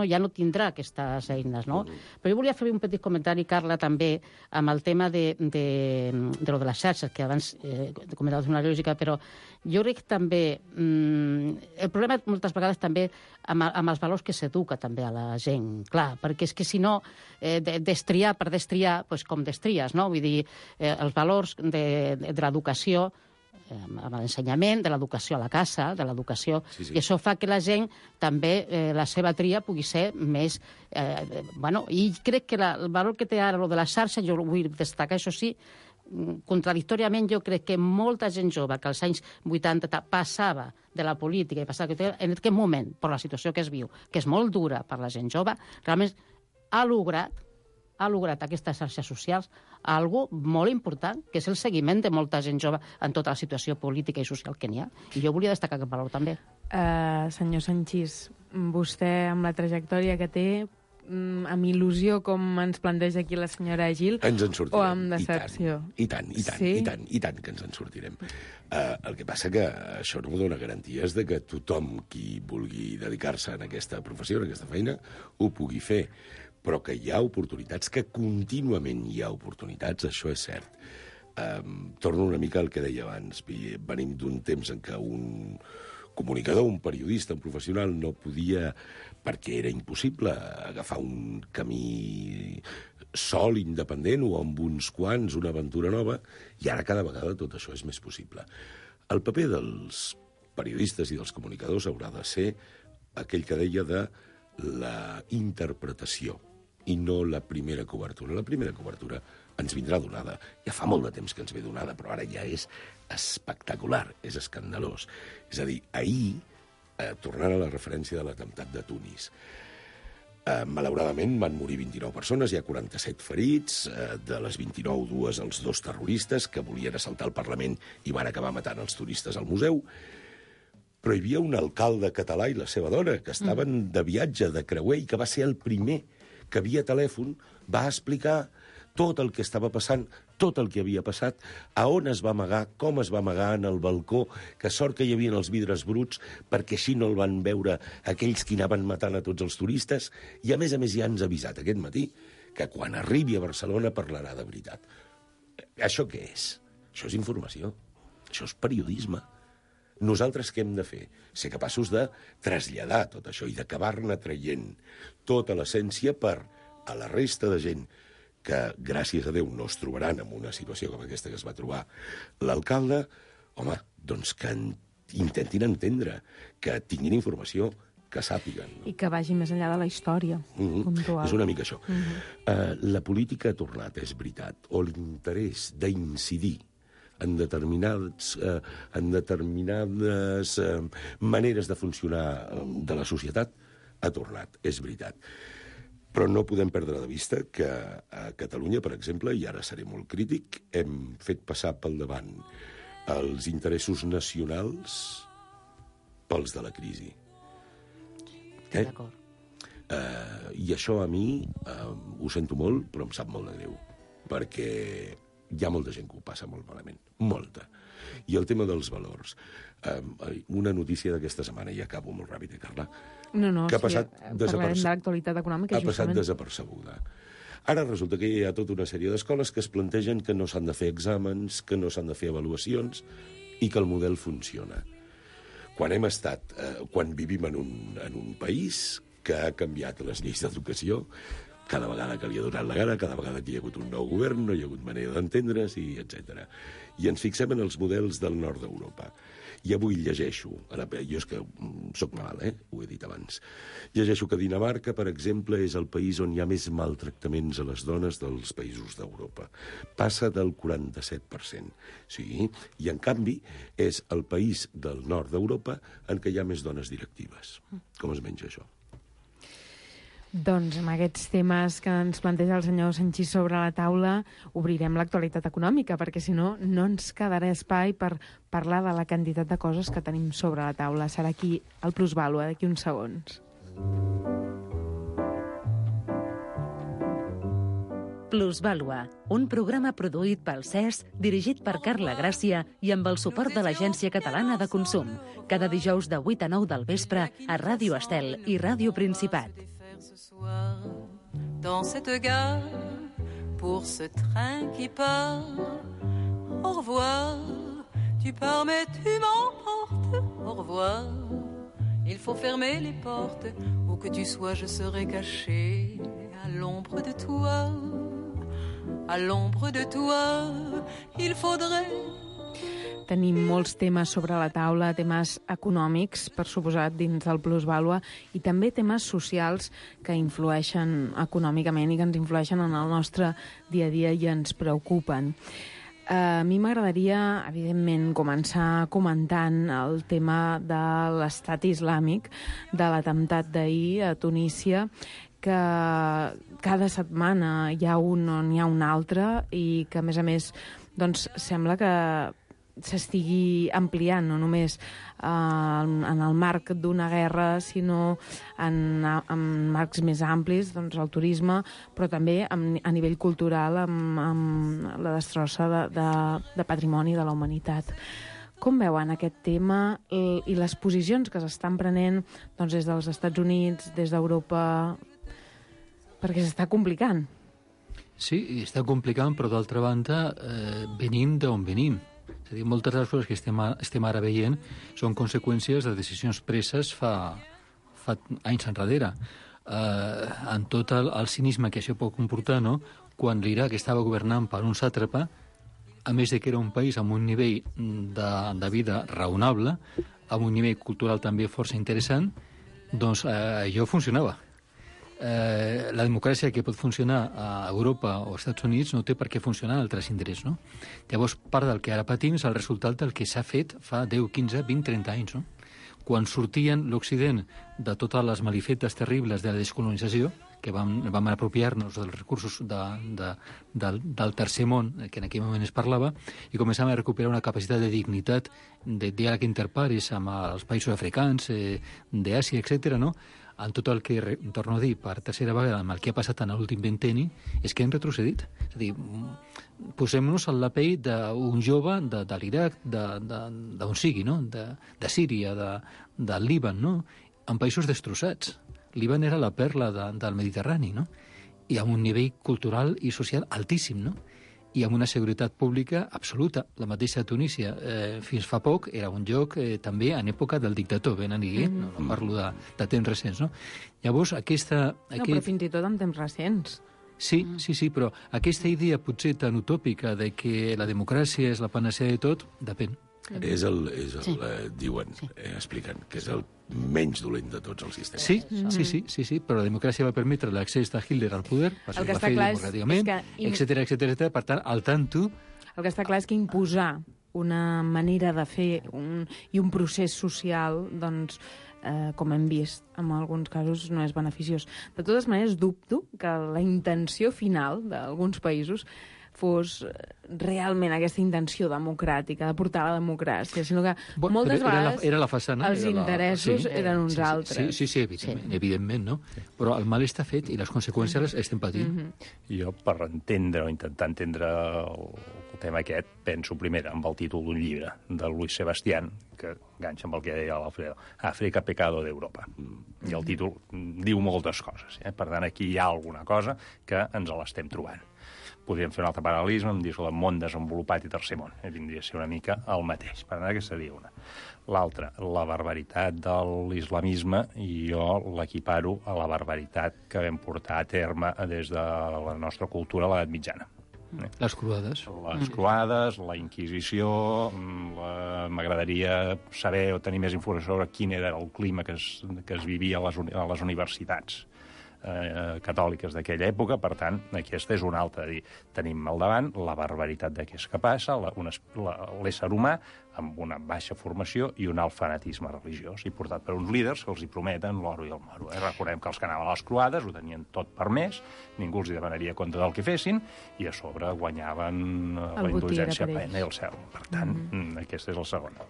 ja no tindrà aquestes eines, no? Però jo volia fer un petit comentari, Carla, també, amb el tema de lo de les xarxes, que abans comentaves una lògica, però jo crec que també el problema moltes vegades també amb els valors que s'educa també a la gent, clar, perquè és que si no destriar per destriar, doncs com destries, no? Vull dir, els valors de l'educació amb l'ensenyament, de l'educació a la casa, de l'educació, i això fa que la gent també, la seva tria pugui ser més... i crec que el valor que té ara lo de la xarxa, jo vull destacar, això sí, contradictòriament jo crec que molta gent jove que als anys 80 passava de la política i passava en aquest moment, per la situació que es viu, que és molt dura per la gent jove, realment ha lograt aquestes xarxes socials algo molt important, que és el seguiment de molta gent jove en tota la situació política i social que n'hi ha. I jo volia destacar aquest valor també. Senyor Sanchis, vostè amb la trajectòria que té, amb il·lusió, com ens planteja aquí la senyora Gil, ens en sortirem. O amb decepció? I tant que ens en sortirem. El que passa que això no dona garanties de que tothom qui vulgui dedicar-se a aquesta professió, a aquesta feina, ho pugui fer. Però que hi ha oportunitats, que contínuament hi ha oportunitats, això és cert. Torno una mica al que deia abans. Venim d'un temps en què un comunicador, un periodista, un professional no podia, perquè era impossible, agafar un camí sol, independent, o amb uns quants, una aventura nova, i ara cada vegada tot això és més possible. El paper dels periodistes i dels comunicadors haurà de ser aquell que deia de la interpretació i no la primera cobertura. La primera cobertura ens vindrà donada. Ja fa molt de temps que ens ve donada, però ara ja és espectacular, és escandalós. És a dir, ahir, tornant a la referència de l'atemptat de Tunis, Malauradament van morir 29 persones, hi ha 47 ferits, de les 29, 2 els 2 terroristes que volien assaltar el Parlament i van acabar matant els turistes al museu. Però hi havia un alcalde català i la seva dona que estaven de viatge, de creuer, i que va ser el primer que via telèfon va explicar tot el que estava passant, tot el que havia passat, a on es va amagar, com es va amagar en el balcó, que sort que hi havia els vidres bruts, perquè així no el van veure aquells que anaven matant a tots els turistes, i a més ja ens ha avisat aquest matí que quan arribi a Barcelona parlarà de veritat. Això què és? Això és informació. Això és periodisme. Nosaltres què hem de fer? Ser capaços de traslladar tot això i d'acabar-ne traient tota l'essència per a la resta de gent que, gràcies a Déu, no es trobaran en una situació com aquesta que es va trobar l'alcalde, home, doncs que intentin entendre, que tinguin informació, que sàpiguen. I que vagi més enllà de la història. És una mica això. La política ha tornat, és veritat, o l'interès d'incidir en determinades maneres de funcionar de la societat ha tornat, és veritat. Però no podem perdre de vista que a Catalunya, per exemple, i ara seré molt crític, hem fet passar pel davant els interessos nacionals pels de la crisi. D'acord. I això a mi ho sento molt, però em sap molt de greu, perquè hi ha molta gent que ho passa molt malament, molta. I el tema dels valors. Una notícia d'aquesta setmana, i acabo molt ràpid, Carla, que ha passat parlarem de l'actualitat econòmica, ha passat desapercebuda. Ara resulta que hi ha tota una sèrie d'escoles que es plantegen que no s'han de fer exàmens, que no s'han de fer avaluacions i que el model funciona. Quan vivim en un país que ha canviat les lleis d'educació, cada vegada que li ha donat la gana, cada vegada que hi ha hagut un nou govern, no hi ha hagut manera d'entendre's, etc. I ens fixem en els models del nord d'Europa. I avui llegeixo, jo és que soc malalt, ho he dit abans, llegeixo que Dinamarca, per exemple, és el país on hi ha més maltractaments a les dones dels països d'Europa. Passa del 47%. Sí, i en canvi és el país del nord d'Europa en què hi ha més dones directives. Com es menja això? Doncs amb aquests temes que ens planteja el senyor Sanchis sobre la taula obrirem l'actualitat econòmica, perquè si no, no ens quedarà espai per parlar de la quantitat de coses que tenim sobre la taula. Serà aquí el Plusvàlua, d'aquí uns segons. Plusvàlua, un programa produït pel CES, dirigit per Carla Gràcia i amb el suport de l'Agència Catalana de Consum. Cada dijous de 8 a 9 del vespre a Ràdio Estel i Ràdio Principat. Ce soir, dans cette gare, pour ce train qui part. Au revoir, tu pars mais tu m'emportes. Au revoir, il faut fermer les portes. Où que tu sois, je serai caché à l'ombre de toi. À l'ombre de toi, il faudrait... Tenim molts temes sobre la taula, temes econòmics, per suposat, dins del Plusvàlua, i també temes socials que influeixen econòmicament i que ens influeixen en el nostre dia a dia i ens preocupen. A mi m'agradaria, evidentment, començar comentant el tema de l'estat islàmic, de l'atemptat d'ahir a Tunísia, que cada setmana hi ha un o n'hi ha un altre i que, a més, doncs, sembla que s'estigui ampliant, no només en el marc d'una guerra, sinó en marcs més amplis, doncs el turisme, però també a nivell cultural, amb la destrossa de patrimoni de la humanitat. Com veuen aquest tema i les posicions que s'estan prenent doncs, des dels Estats Units, des d'Europa, perquè s'està complicant? Sí, està complicant, però d'altra banda venim d'on venim. És a dir, moltes de les coses que estem ara veient són conseqüències de decisions preses fa anys enrere. En tot el cinisme que això pot comportar, no? Quan l'Iraq estava governant per un sàtrapa, a més de que era un país amb un nivell de vida raonable, amb un nivell cultural també força interessant, doncs allò funcionava. La democràcia que pot funcionar a Europa o als Estats Units no té per què funcionar en altres indrets, no? Llavors, part del que ara patim és el resultat del que s'ha fet fa 10, 15, 20, 30 anys, no? Quan sortien l'Occident de totes les malifetes terribles de la descolonització, que vam apropiar-nos dels recursos del tercer món, que en aquell moment es parlava, i començàvem a recuperar una capacitat de dignitat, de diàleg interpares amb els països africans, d'Àsia, etc., no? En tot el que, torno a dir, per tercera vegada, amb el que ha passat en l'últim vinteni, és que hem retrocedit. És a dir, posem-nos en la pell d'un jove de l'Iraq, d'on sigui, no? De Síria, del Líban, no? En països destrossats. Líban era la perla del Mediterrani, no? I amb un nivell cultural i social altíssim, no? I amb una seguretat pública absoluta. La mateixa Tunísia, fins fa poc, era un lloc també en època del dictador Ben Ali, no parlo de temps recents, no? Llavors, No, però fins i tot en temps recents. Sí, però aquesta idea potser tan utòpica de que la democràcia és la panacea de tot, depèn. Diuen, expliquen, que és el menys dolent de tots els sistemes. Sí, però la democràcia va permetre l'accés de Hitler al poder, el que està clar és etc. Per tant, al tanto... El que està clar és que imposar una manera de fer i un procés social, doncs, com hem vist en alguns casos, no és beneficiós. De totes maneres, dubto que la intenció final d'alguns països fos realment aquesta intenció democràtica, de portar la democràcia, sinó que moltes vegades era la façana, els interessos eren uns altres. Sí, evidentment, no? Però el mal està fet i les conseqüències les estem patint. Jo, per entendre o intentar entendre el tema aquest, penso primer en el títol d'un llibre de Luis Sebastián, que enganxa amb el que deia l'Alfredo, Àfrica, pecado d'Europa. I el títol diu moltes coses. Per tant, aquí hi ha alguna cosa que ens l'estem trobant. Podríem fer un altre paral·lelisme, em dius el món desenvolupat i tercer món. Vindria a ser una mica el mateix. Per tant, aquesta seria una. L'altra, la barbaritat de l'islamisme, i jo l'equiparo a la barbaritat que vam portar a terme des de la nostra cultura a l'edat mitjana. Les croades. Les croades, la Inquisició, m'agradaria saber o tenir més informació sobre quin era el clima que es vivia a les universitats catòliques d'aquella època. Per tant, aquesta és una altra. Tenim al davant la barbaritat de què és capaç l'ésser humà amb una baixa formació i un alt fanatisme religiós, i portat per uns líders que els hi prometen l'oro i el moro. Recordem que els que anaven a les croades ho tenien tot permès, ningú els hi demanaria compte del que fessin, i a sobre guanyaven la indulgència plena i el cel. Per tant, aquesta és la segona.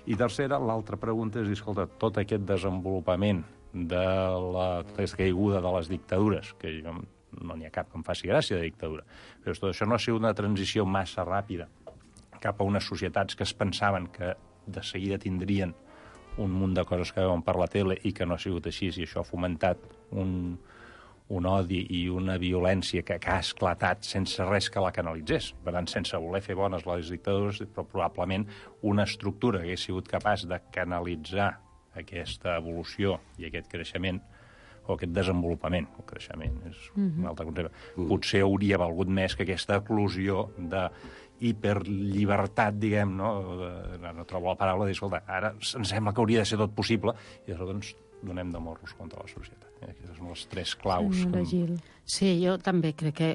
I tercera, l'altra pregunta és, escolta, tot aquest desenvolupament de la caiguda de les dictadures, que jo no n'hi ha cap que em faci gràcia de dictadura, però tot això no ha sigut una transició massa ràpida cap a unes societats que es pensaven que de seguida tindrien un munt de coses que veuen per la tele i que no ha sigut així, i això ha fomentat un odi i una violència que ha esclatat sense res que la canalitzés. Per tant, sense voler fer bones les dictadures, però probablement una estructura que hagués sigut capaç de canalitzar aquesta evolució i aquest creixement, o aquest desenvolupament. El creixement és un altre concepte. Potser hauria valgut més que aquesta eclosió de hiperllibertat, diguem, no? No trobo la paraula, de dir, escolta, ara em sembla que hauria de ser tot possible, i llavors ens donem de morros contra la societat. Aquestes són les tres claus. Sí, jo també crec que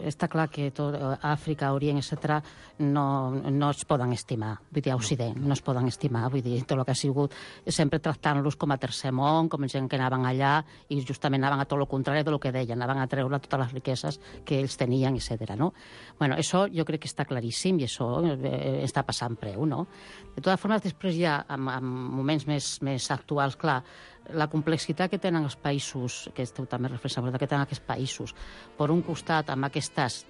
està clar que tot Àfrica, Orient, etc., no es poden estimar. Vull dir, a Occident no es poden estimar. Vull dir, tot el que ha sigut sempre tractant-los com a tercer món, com gent que anaven allà i justament anaven a tot el contrari del que deien, anaven a treure totes les riqueses que ells tenien, etc. No? Bueno, això jo crec que està claríssim i això està passant preu, no? De totes formes, després ja, en moments més actuals, clar, la complexitat que tenen els països, que esteu també reflexionant, que tenen aquests països, per un costat amb aquestes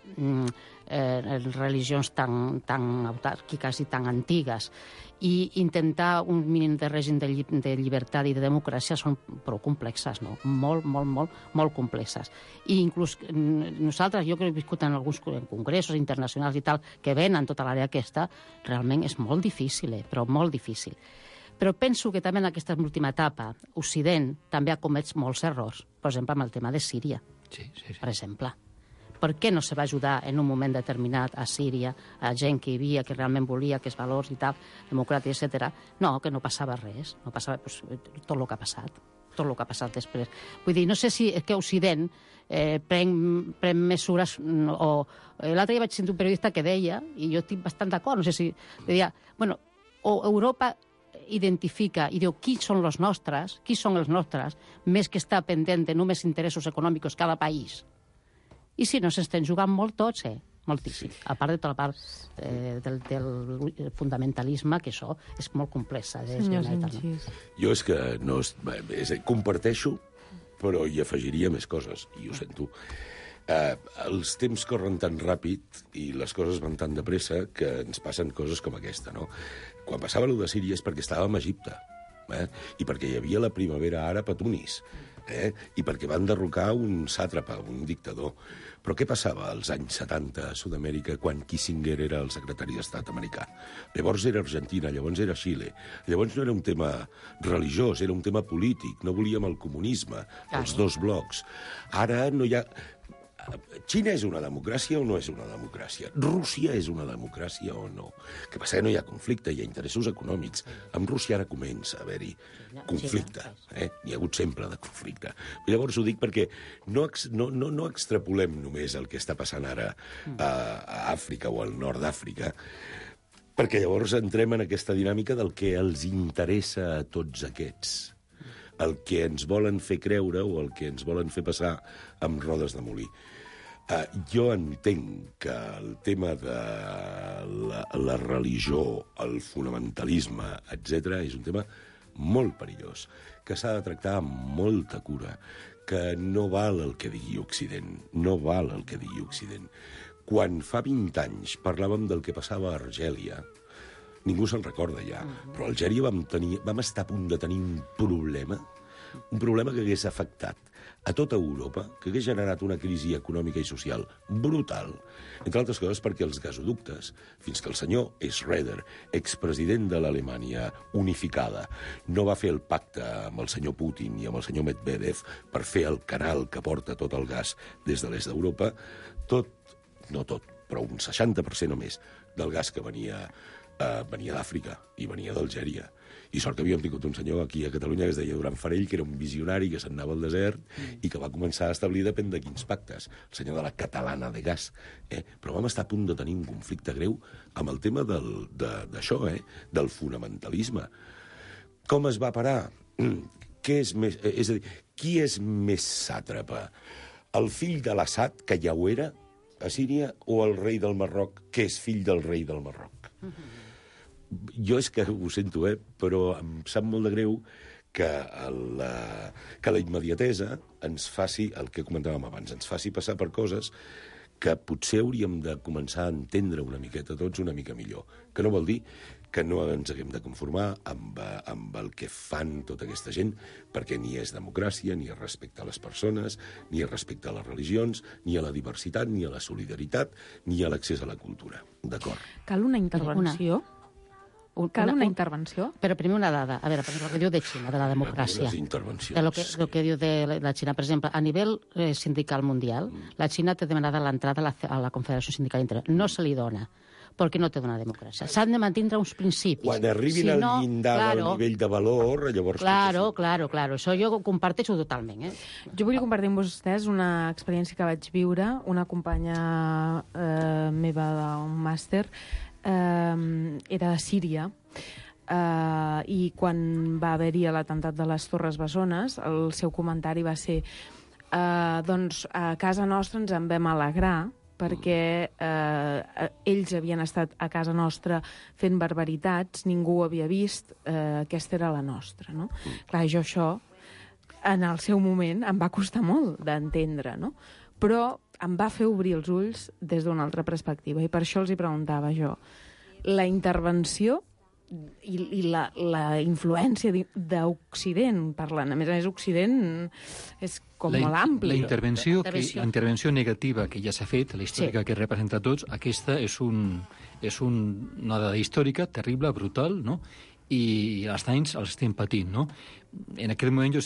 religions tan autàrquiques i tan antigues, i intentar un mínim de règim de llibertat i de democràcia són prou complexes, no? Molt complexes. I inclús nosaltres, jo que he viscut en alguns congressos internacionals i tal, que venen tota l'àrea aquesta, realment és molt difícil, però molt difícil. Però penso que també en aquesta última etapa Occident també ha comès molts errors, per exemple, amb el tema de Síria, per exemple. Per què no se va ajudar en un moment determinat a Síria, a gent que hi havia, que realment volia aquests valors i tal, democràcia, etc. No, que no passava res, no passava tot el que ha passat, tot el que ha passat després. Vull dir, no sé si és que Occident pren mesures, o l'altre dia vaig sentir un periodista que deia, i jo estic bastant d'acord, no sé si deia, bueno, o Europa identifica i diu qui són els nostres, més que estar pendent de només interessos econòmics cada país. I si no, s'estan jugant molt tots, moltíssim. A part de tota la part del fundamentalisme, que això és molt complex. Jo és que no... Comparteixo, però hi afegiria més coses, i ho sento. Els temps corren tan ràpid i les coses van tan de pressa que ens passen coses com aquesta, no? Quan passava allò de Síria és perquè estàvem a Egipte, i perquè hi havia la primavera àrab a Tunis, i perquè van derrocar un sàtrapa, un dictador. Però què passava als anys 70 a Sud-amèrica quan Kissinger era el secretari d'Estat americà? Llavors era Argentina, llavors era Xile. Llavors no era un tema religiós, era un tema polític. No volíem el comunisme, els dos blocs. Ara no hi ha... Xina és una democràcia o no és una democràcia? Rússia és una democràcia o no? Que passa que no hi ha conflicte, hi ha interessos econòmics. Amb Rússia ara comença a haver-hi conflicte. N'hi ha hagut sempre de conflicte. Llavors ho dic perquè no extrapolem només el que està passant ara a Àfrica o al nord d'Àfrica, perquè llavors entrem en aquesta dinàmica del que els interessa a tots aquests, el que ens volen fer creure o el que ens volen fer passar amb rodes de molí. Jo entenc que el tema de la religió, el fonamentalisme, etc., és un tema molt perillós, que s'ha de tractar amb molta cura, que no val el que digui Occident, no val el que digui Occident. Quan fa 20 anys parlàvem del que passava a Argèlia, ningú se'n recorda ja, però a Algèria vam estar a punt de tenir un problema que hagués afectat a tota Europa, que hagués generat una crisi econòmica i social brutal, entre altres coses perquè els gasoductes, fins que el senyor Schroeder, expresident de l'Alemanya unificada, no va fer el pacte amb el senyor Putin i amb el senyor Medvedev per fer el canal que porta tot el gas des de l'est d'Europa, no tot, però un 60% o més del gas que venia d'Àfrica i venia d'Algèria. I sort que havíem tingut un senyor aquí a Catalunya que es deia Duran Farell, que era un visionari que se'n anava al desert i que va començar a establir depèn de quins pactes. El senyor de la catalana de gas. Però vam estar a punt de tenir un conflicte greu amb el tema d'això, del fonamentalisme. Com es va parar? És a dir, qui és més sàtrapa? El fill de l'Assad, que ja ho era, a Síria, o el rei del Marroc, que és fill del rei del Marroc? Jo és que ho sento, però em sap molt de greu que la immediatesa ens faci, el que comentàvem abans, ens faci passar per coses que potser hauríem de començar a entendre una miqueta tots una mica millor. Que no vol dir que no ens haguem de conformar amb el que fan tota aquesta gent, perquè ni és democràcia, ni és respecte a les persones, ni és respecte a les religions, ni a la diversitat, ni a la solidaritat, ni a l'accés a la cultura. D'acord? Cal una intervenció? Cal una intervenció? Però primer una dada. A veure, el que diu de Xina, de la democràcia. Les intervencions. El que diu de la Xina. Per exemple, a nivell sindical mundial, la Xina té demanada l'entrada a la Confederació Sindical Internacional. No se li dona, perquè no té una democràcia. S'han de mantindre uns principis. Quan arribin al llindar del nivell de valor, llavors... Claro. Això jo ho comparteixo totalment. Jo volia compartir amb vostès una experiència que vaig viure. Una companya meva d'un màster era de Síria, i quan va haver-hi l'atemptat de les Torres Bessones, el seu comentari va ser doncs a casa nostra ens en vam alegrar perquè ells havien estat a casa nostra fent barbaritats, ningú ho havia vist, aquesta era la nostra, no? Clar, jo això en el seu moment em va costar molt d'entendre, no? Però em va fer obrir els ulls des d'una altra perspectiva, i per això els hi preguntava jo. La intervenció i la influència d'Occident, parlant. A més, Occident és com molt ampli. La intervenció negativa que ja s'ha fet, la històrica que representa tots, aquesta és una dada històrica terrible, brutal, no? I els danys els estem patint, no? En aquell moment jo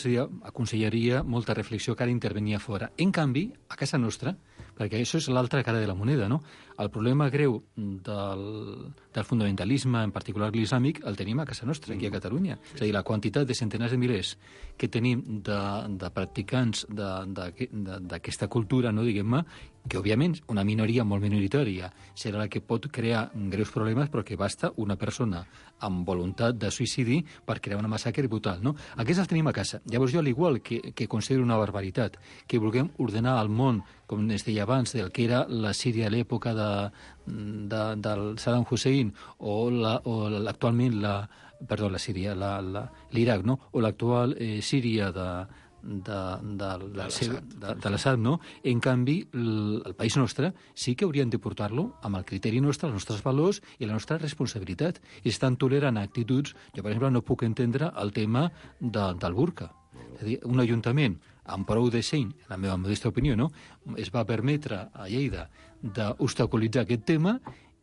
aconsellaria molta reflexió que ara intervenia fora. En canvi, a casa nostra, perquè això és l'altra cara de la moneda, no? El problema greu del fonamentalisme, en particular l'islàmic, el tenim a casa nostra, aquí a Catalunya. És a dir, la quantitat de centenars de milers que tenim de practicants d'aquesta cultura, no, diguem-ne, que, òbviament, una minoria molt minoritària serà la que pot crear greus problemes, però que basta una persona amb voluntat de suïcidi per crear una massacre brutal, no? Aquests els tenim a casa. Llavors jo, al igual que considero una barbaritat que vulguem ordenar el món, com es deia abans, del que era la Síria a l'època del Saddam Hussein o actualment la Síria, l'Iraq, no? O l'actual Síria de l'Assad, no? En canvi, el país nostre sí que hauríem de portar-lo amb el criteri nostre, els nostres valors i la nostra responsabilitat. I estan tolerant actituds... Jo, per exemple, no puc entendre el tema del burca. És a dir, un ajuntament amb prou de seny, en la meva modesta opinió, no? Es va permetre a Lleida d'obstaculitzar aquest tema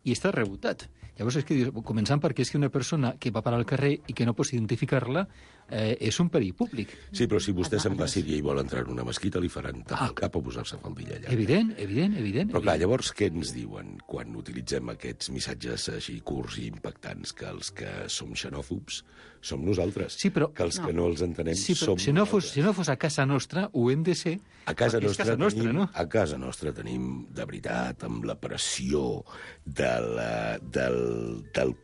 i està rebotat. Llavors, és que, començant perquè és que una persona que va parar al carrer i que no pots identificar-la és un perill públic. Sí, però si vostè se'n va a Síria i vol entrar en una mesquita, li faran tapar el cap o posar-se faldilla allà. Evident. Però clar, llavors què ens diuen quan utilitzem aquests missatges així curts i impactants? Que els que som xenòfobs som nosaltres. Sí, però... Que els que no els entenem som nosaltres. Si no fos a casa nostra, ho hem de ser. A casa nostra no? A casa nostra tenim, de veritat, amb la pressió del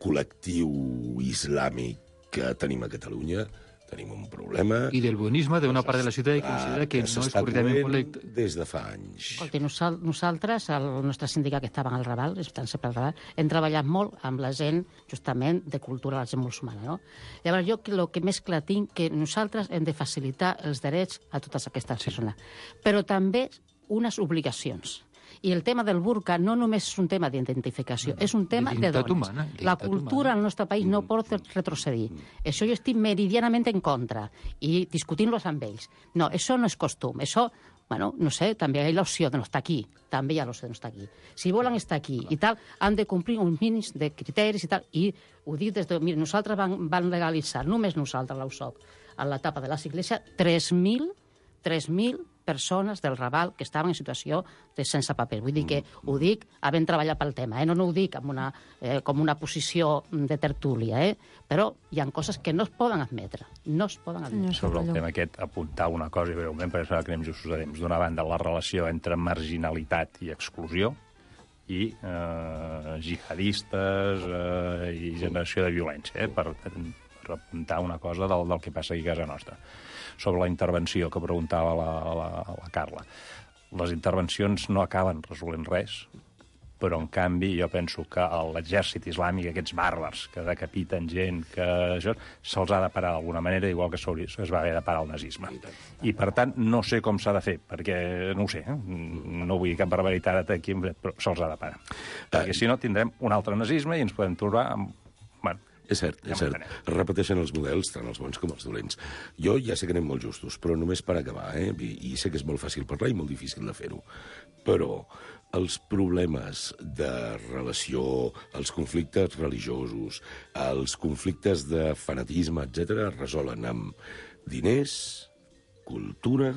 col·lectiu islàmic que tenim a Catalunya, tenim un problema... I del bonisme d'una part de la ciutat que considera que no és correctament correcte. Des de fa anys. Escolti, nosaltres, el nostre sindicat que estava al Raval, estan sempre al Raval, hem treballat molt amb la gent, justament, de cultura, la gent musulmana, no? Llavors, jo el que més clar tinc que nosaltres hem de facilitar els drets a totes aquestes persones, però també unes obligacions. I el tema del burca no només és un tema d'identificació, és un tema de dones. La cultura al nostre país no pot retrocedir. Això jo estic meridianament en contra i discutint-los amb ells. No, això no és costum, això... Bueno, no sé, també hi ha l'opció de no estar aquí. També hi ha l'opció de no estar aquí. Si volen estar aquí i tal, han de complir uns mínims de criteris i tal. I ho dic des de... Mira, nosaltres van legalitzar, només nosaltres, l'USOC, a l'etapa de les iglesia, 3.000 persones del Raval que estaven en situació de sense paper. Vull dir que ho dic havent treballat pel tema, no ho dic amb com una posició de tertúlia, però hi ha coses que no es poden admetre. No es poden admetre. Sobre el tema aquest, apuntar una cosa, i breument, perquè serà que anem justos a temps. D'una banda, la relació entre marginalitat i exclusió, i jihadistes i generació de violència, per apuntar una cosa del que passa aquí a casa nostra. Sobre la intervenció que preguntava la Carla. Les intervencions no acaben resolent res, però, en canvi, jo penso que l'exèrcit islàmic, aquests bàrbars que decapiten gent, que això se'ls ha de parar d'alguna manera, igual que es va haver de parar el nazisme. I, per tant, no sé com s'ha de fer, perquè no ho sé, no vull dir cap barbaritat aquí, però se'ls ha de parar. Perquè, si no, tindrem un altre nazisme i ens podem trobar amb... Bueno, és cert. Repeteixen els models, tant els bons com els dolents. Jo ja sé que anem molt justos, però només per acabar, i sé que és molt fàcil parlar i molt difícil de fer-ho, però els problemes de relació, els conflictes religiosos, els conflictes de fanatisme, etc., es resolen amb diners, cultura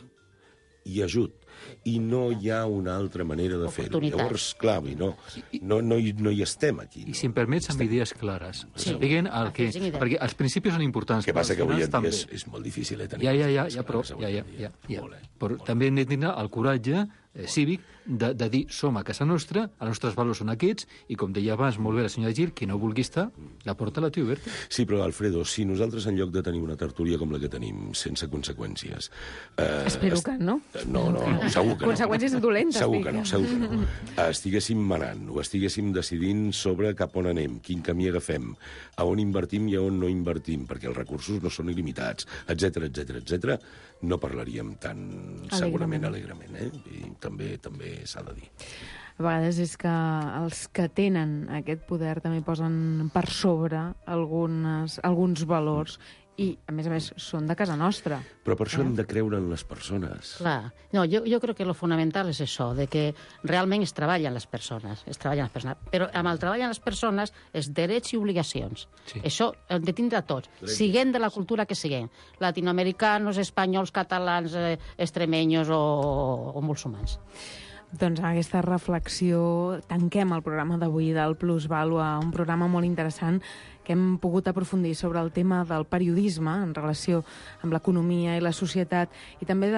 i ajut. I no hi ha una altra manera de fer-ho. Llavors, clar, no hi estem aquí. I si em permets, amb idees clares. Perquè els principis són importants. El que passa que avui en dia és molt difícil tenir... Però també hem de tenir el coratge cívic de dir som a casa nostra, els nostres valors són aquests, i com deia abans molt bé la senyora Gil, qui no vulgui estar, la porta la té oberta. Sí, però, Alfredo, si nosaltres en lloc de tenir una tertúlia com la que tenim, sense conseqüències... Espero que no. No, segur que no. Conseqüències dolentes. Segur que no. Estiguéssim manant, o estiguéssim decidint sobre cap on anem, quin camí agafem, a on invertim i a on no invertim, perquè els recursos no són il·limitats, etc. No parlaríem tan segurament alegrement, i també s'ha de dir. A vegades és que els que tenen aquest poder també posen per sobre alguns valors i, a més, són de casa nostra. Però per això hem de creure en les persones. Clar. No, jo crec que lo fonamental és això, de que realment es treballen les persones, però amb el treball en les persones és drets i obligacions. Sí. Això hem de tindre tots, siguem de la cultura que siguem, latinoamericanos, espanyols, catalans, extremeños o musulmans. Doncs amb aquesta reflexió tanquem el programa d'avui del Plusvàlua, un programa molt interessant que hem pogut aprofundir sobre el tema del periodisme en relació amb l'economia i la societat i també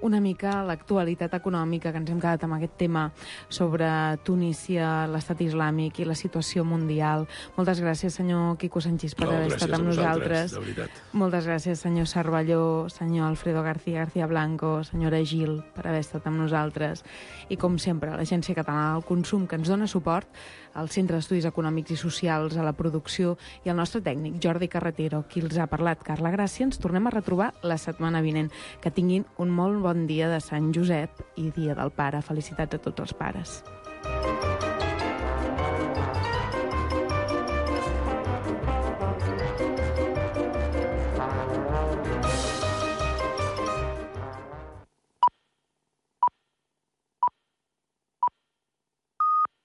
una mica l'actualitat econòmica, que ens hem quedat amb aquest tema sobre Tunísia, l'estat islàmic i la situació mundial. Moltes gràcies, senyor Quico Sanchis, per haver estat amb nosaltres. De veritat. Moltes gràcies, senyor Cervelló, senyor Alfredo García Blanco, senyora Gil, per haver estat amb nosaltres. I, com sempre, l'Agència Catalana del Consum, que ens dona suport, al Centre d'Estudis Econòmics i Socials, a la producció, i el nostre tècnic, Jordi Carretero, qui els ha parlat, Carla Gràcia. Ens tornem a retrobar la setmana vinent. Que tinguin un molt bon dia de Sant Josep i Dia del Pare. Felicitats a tots els pares.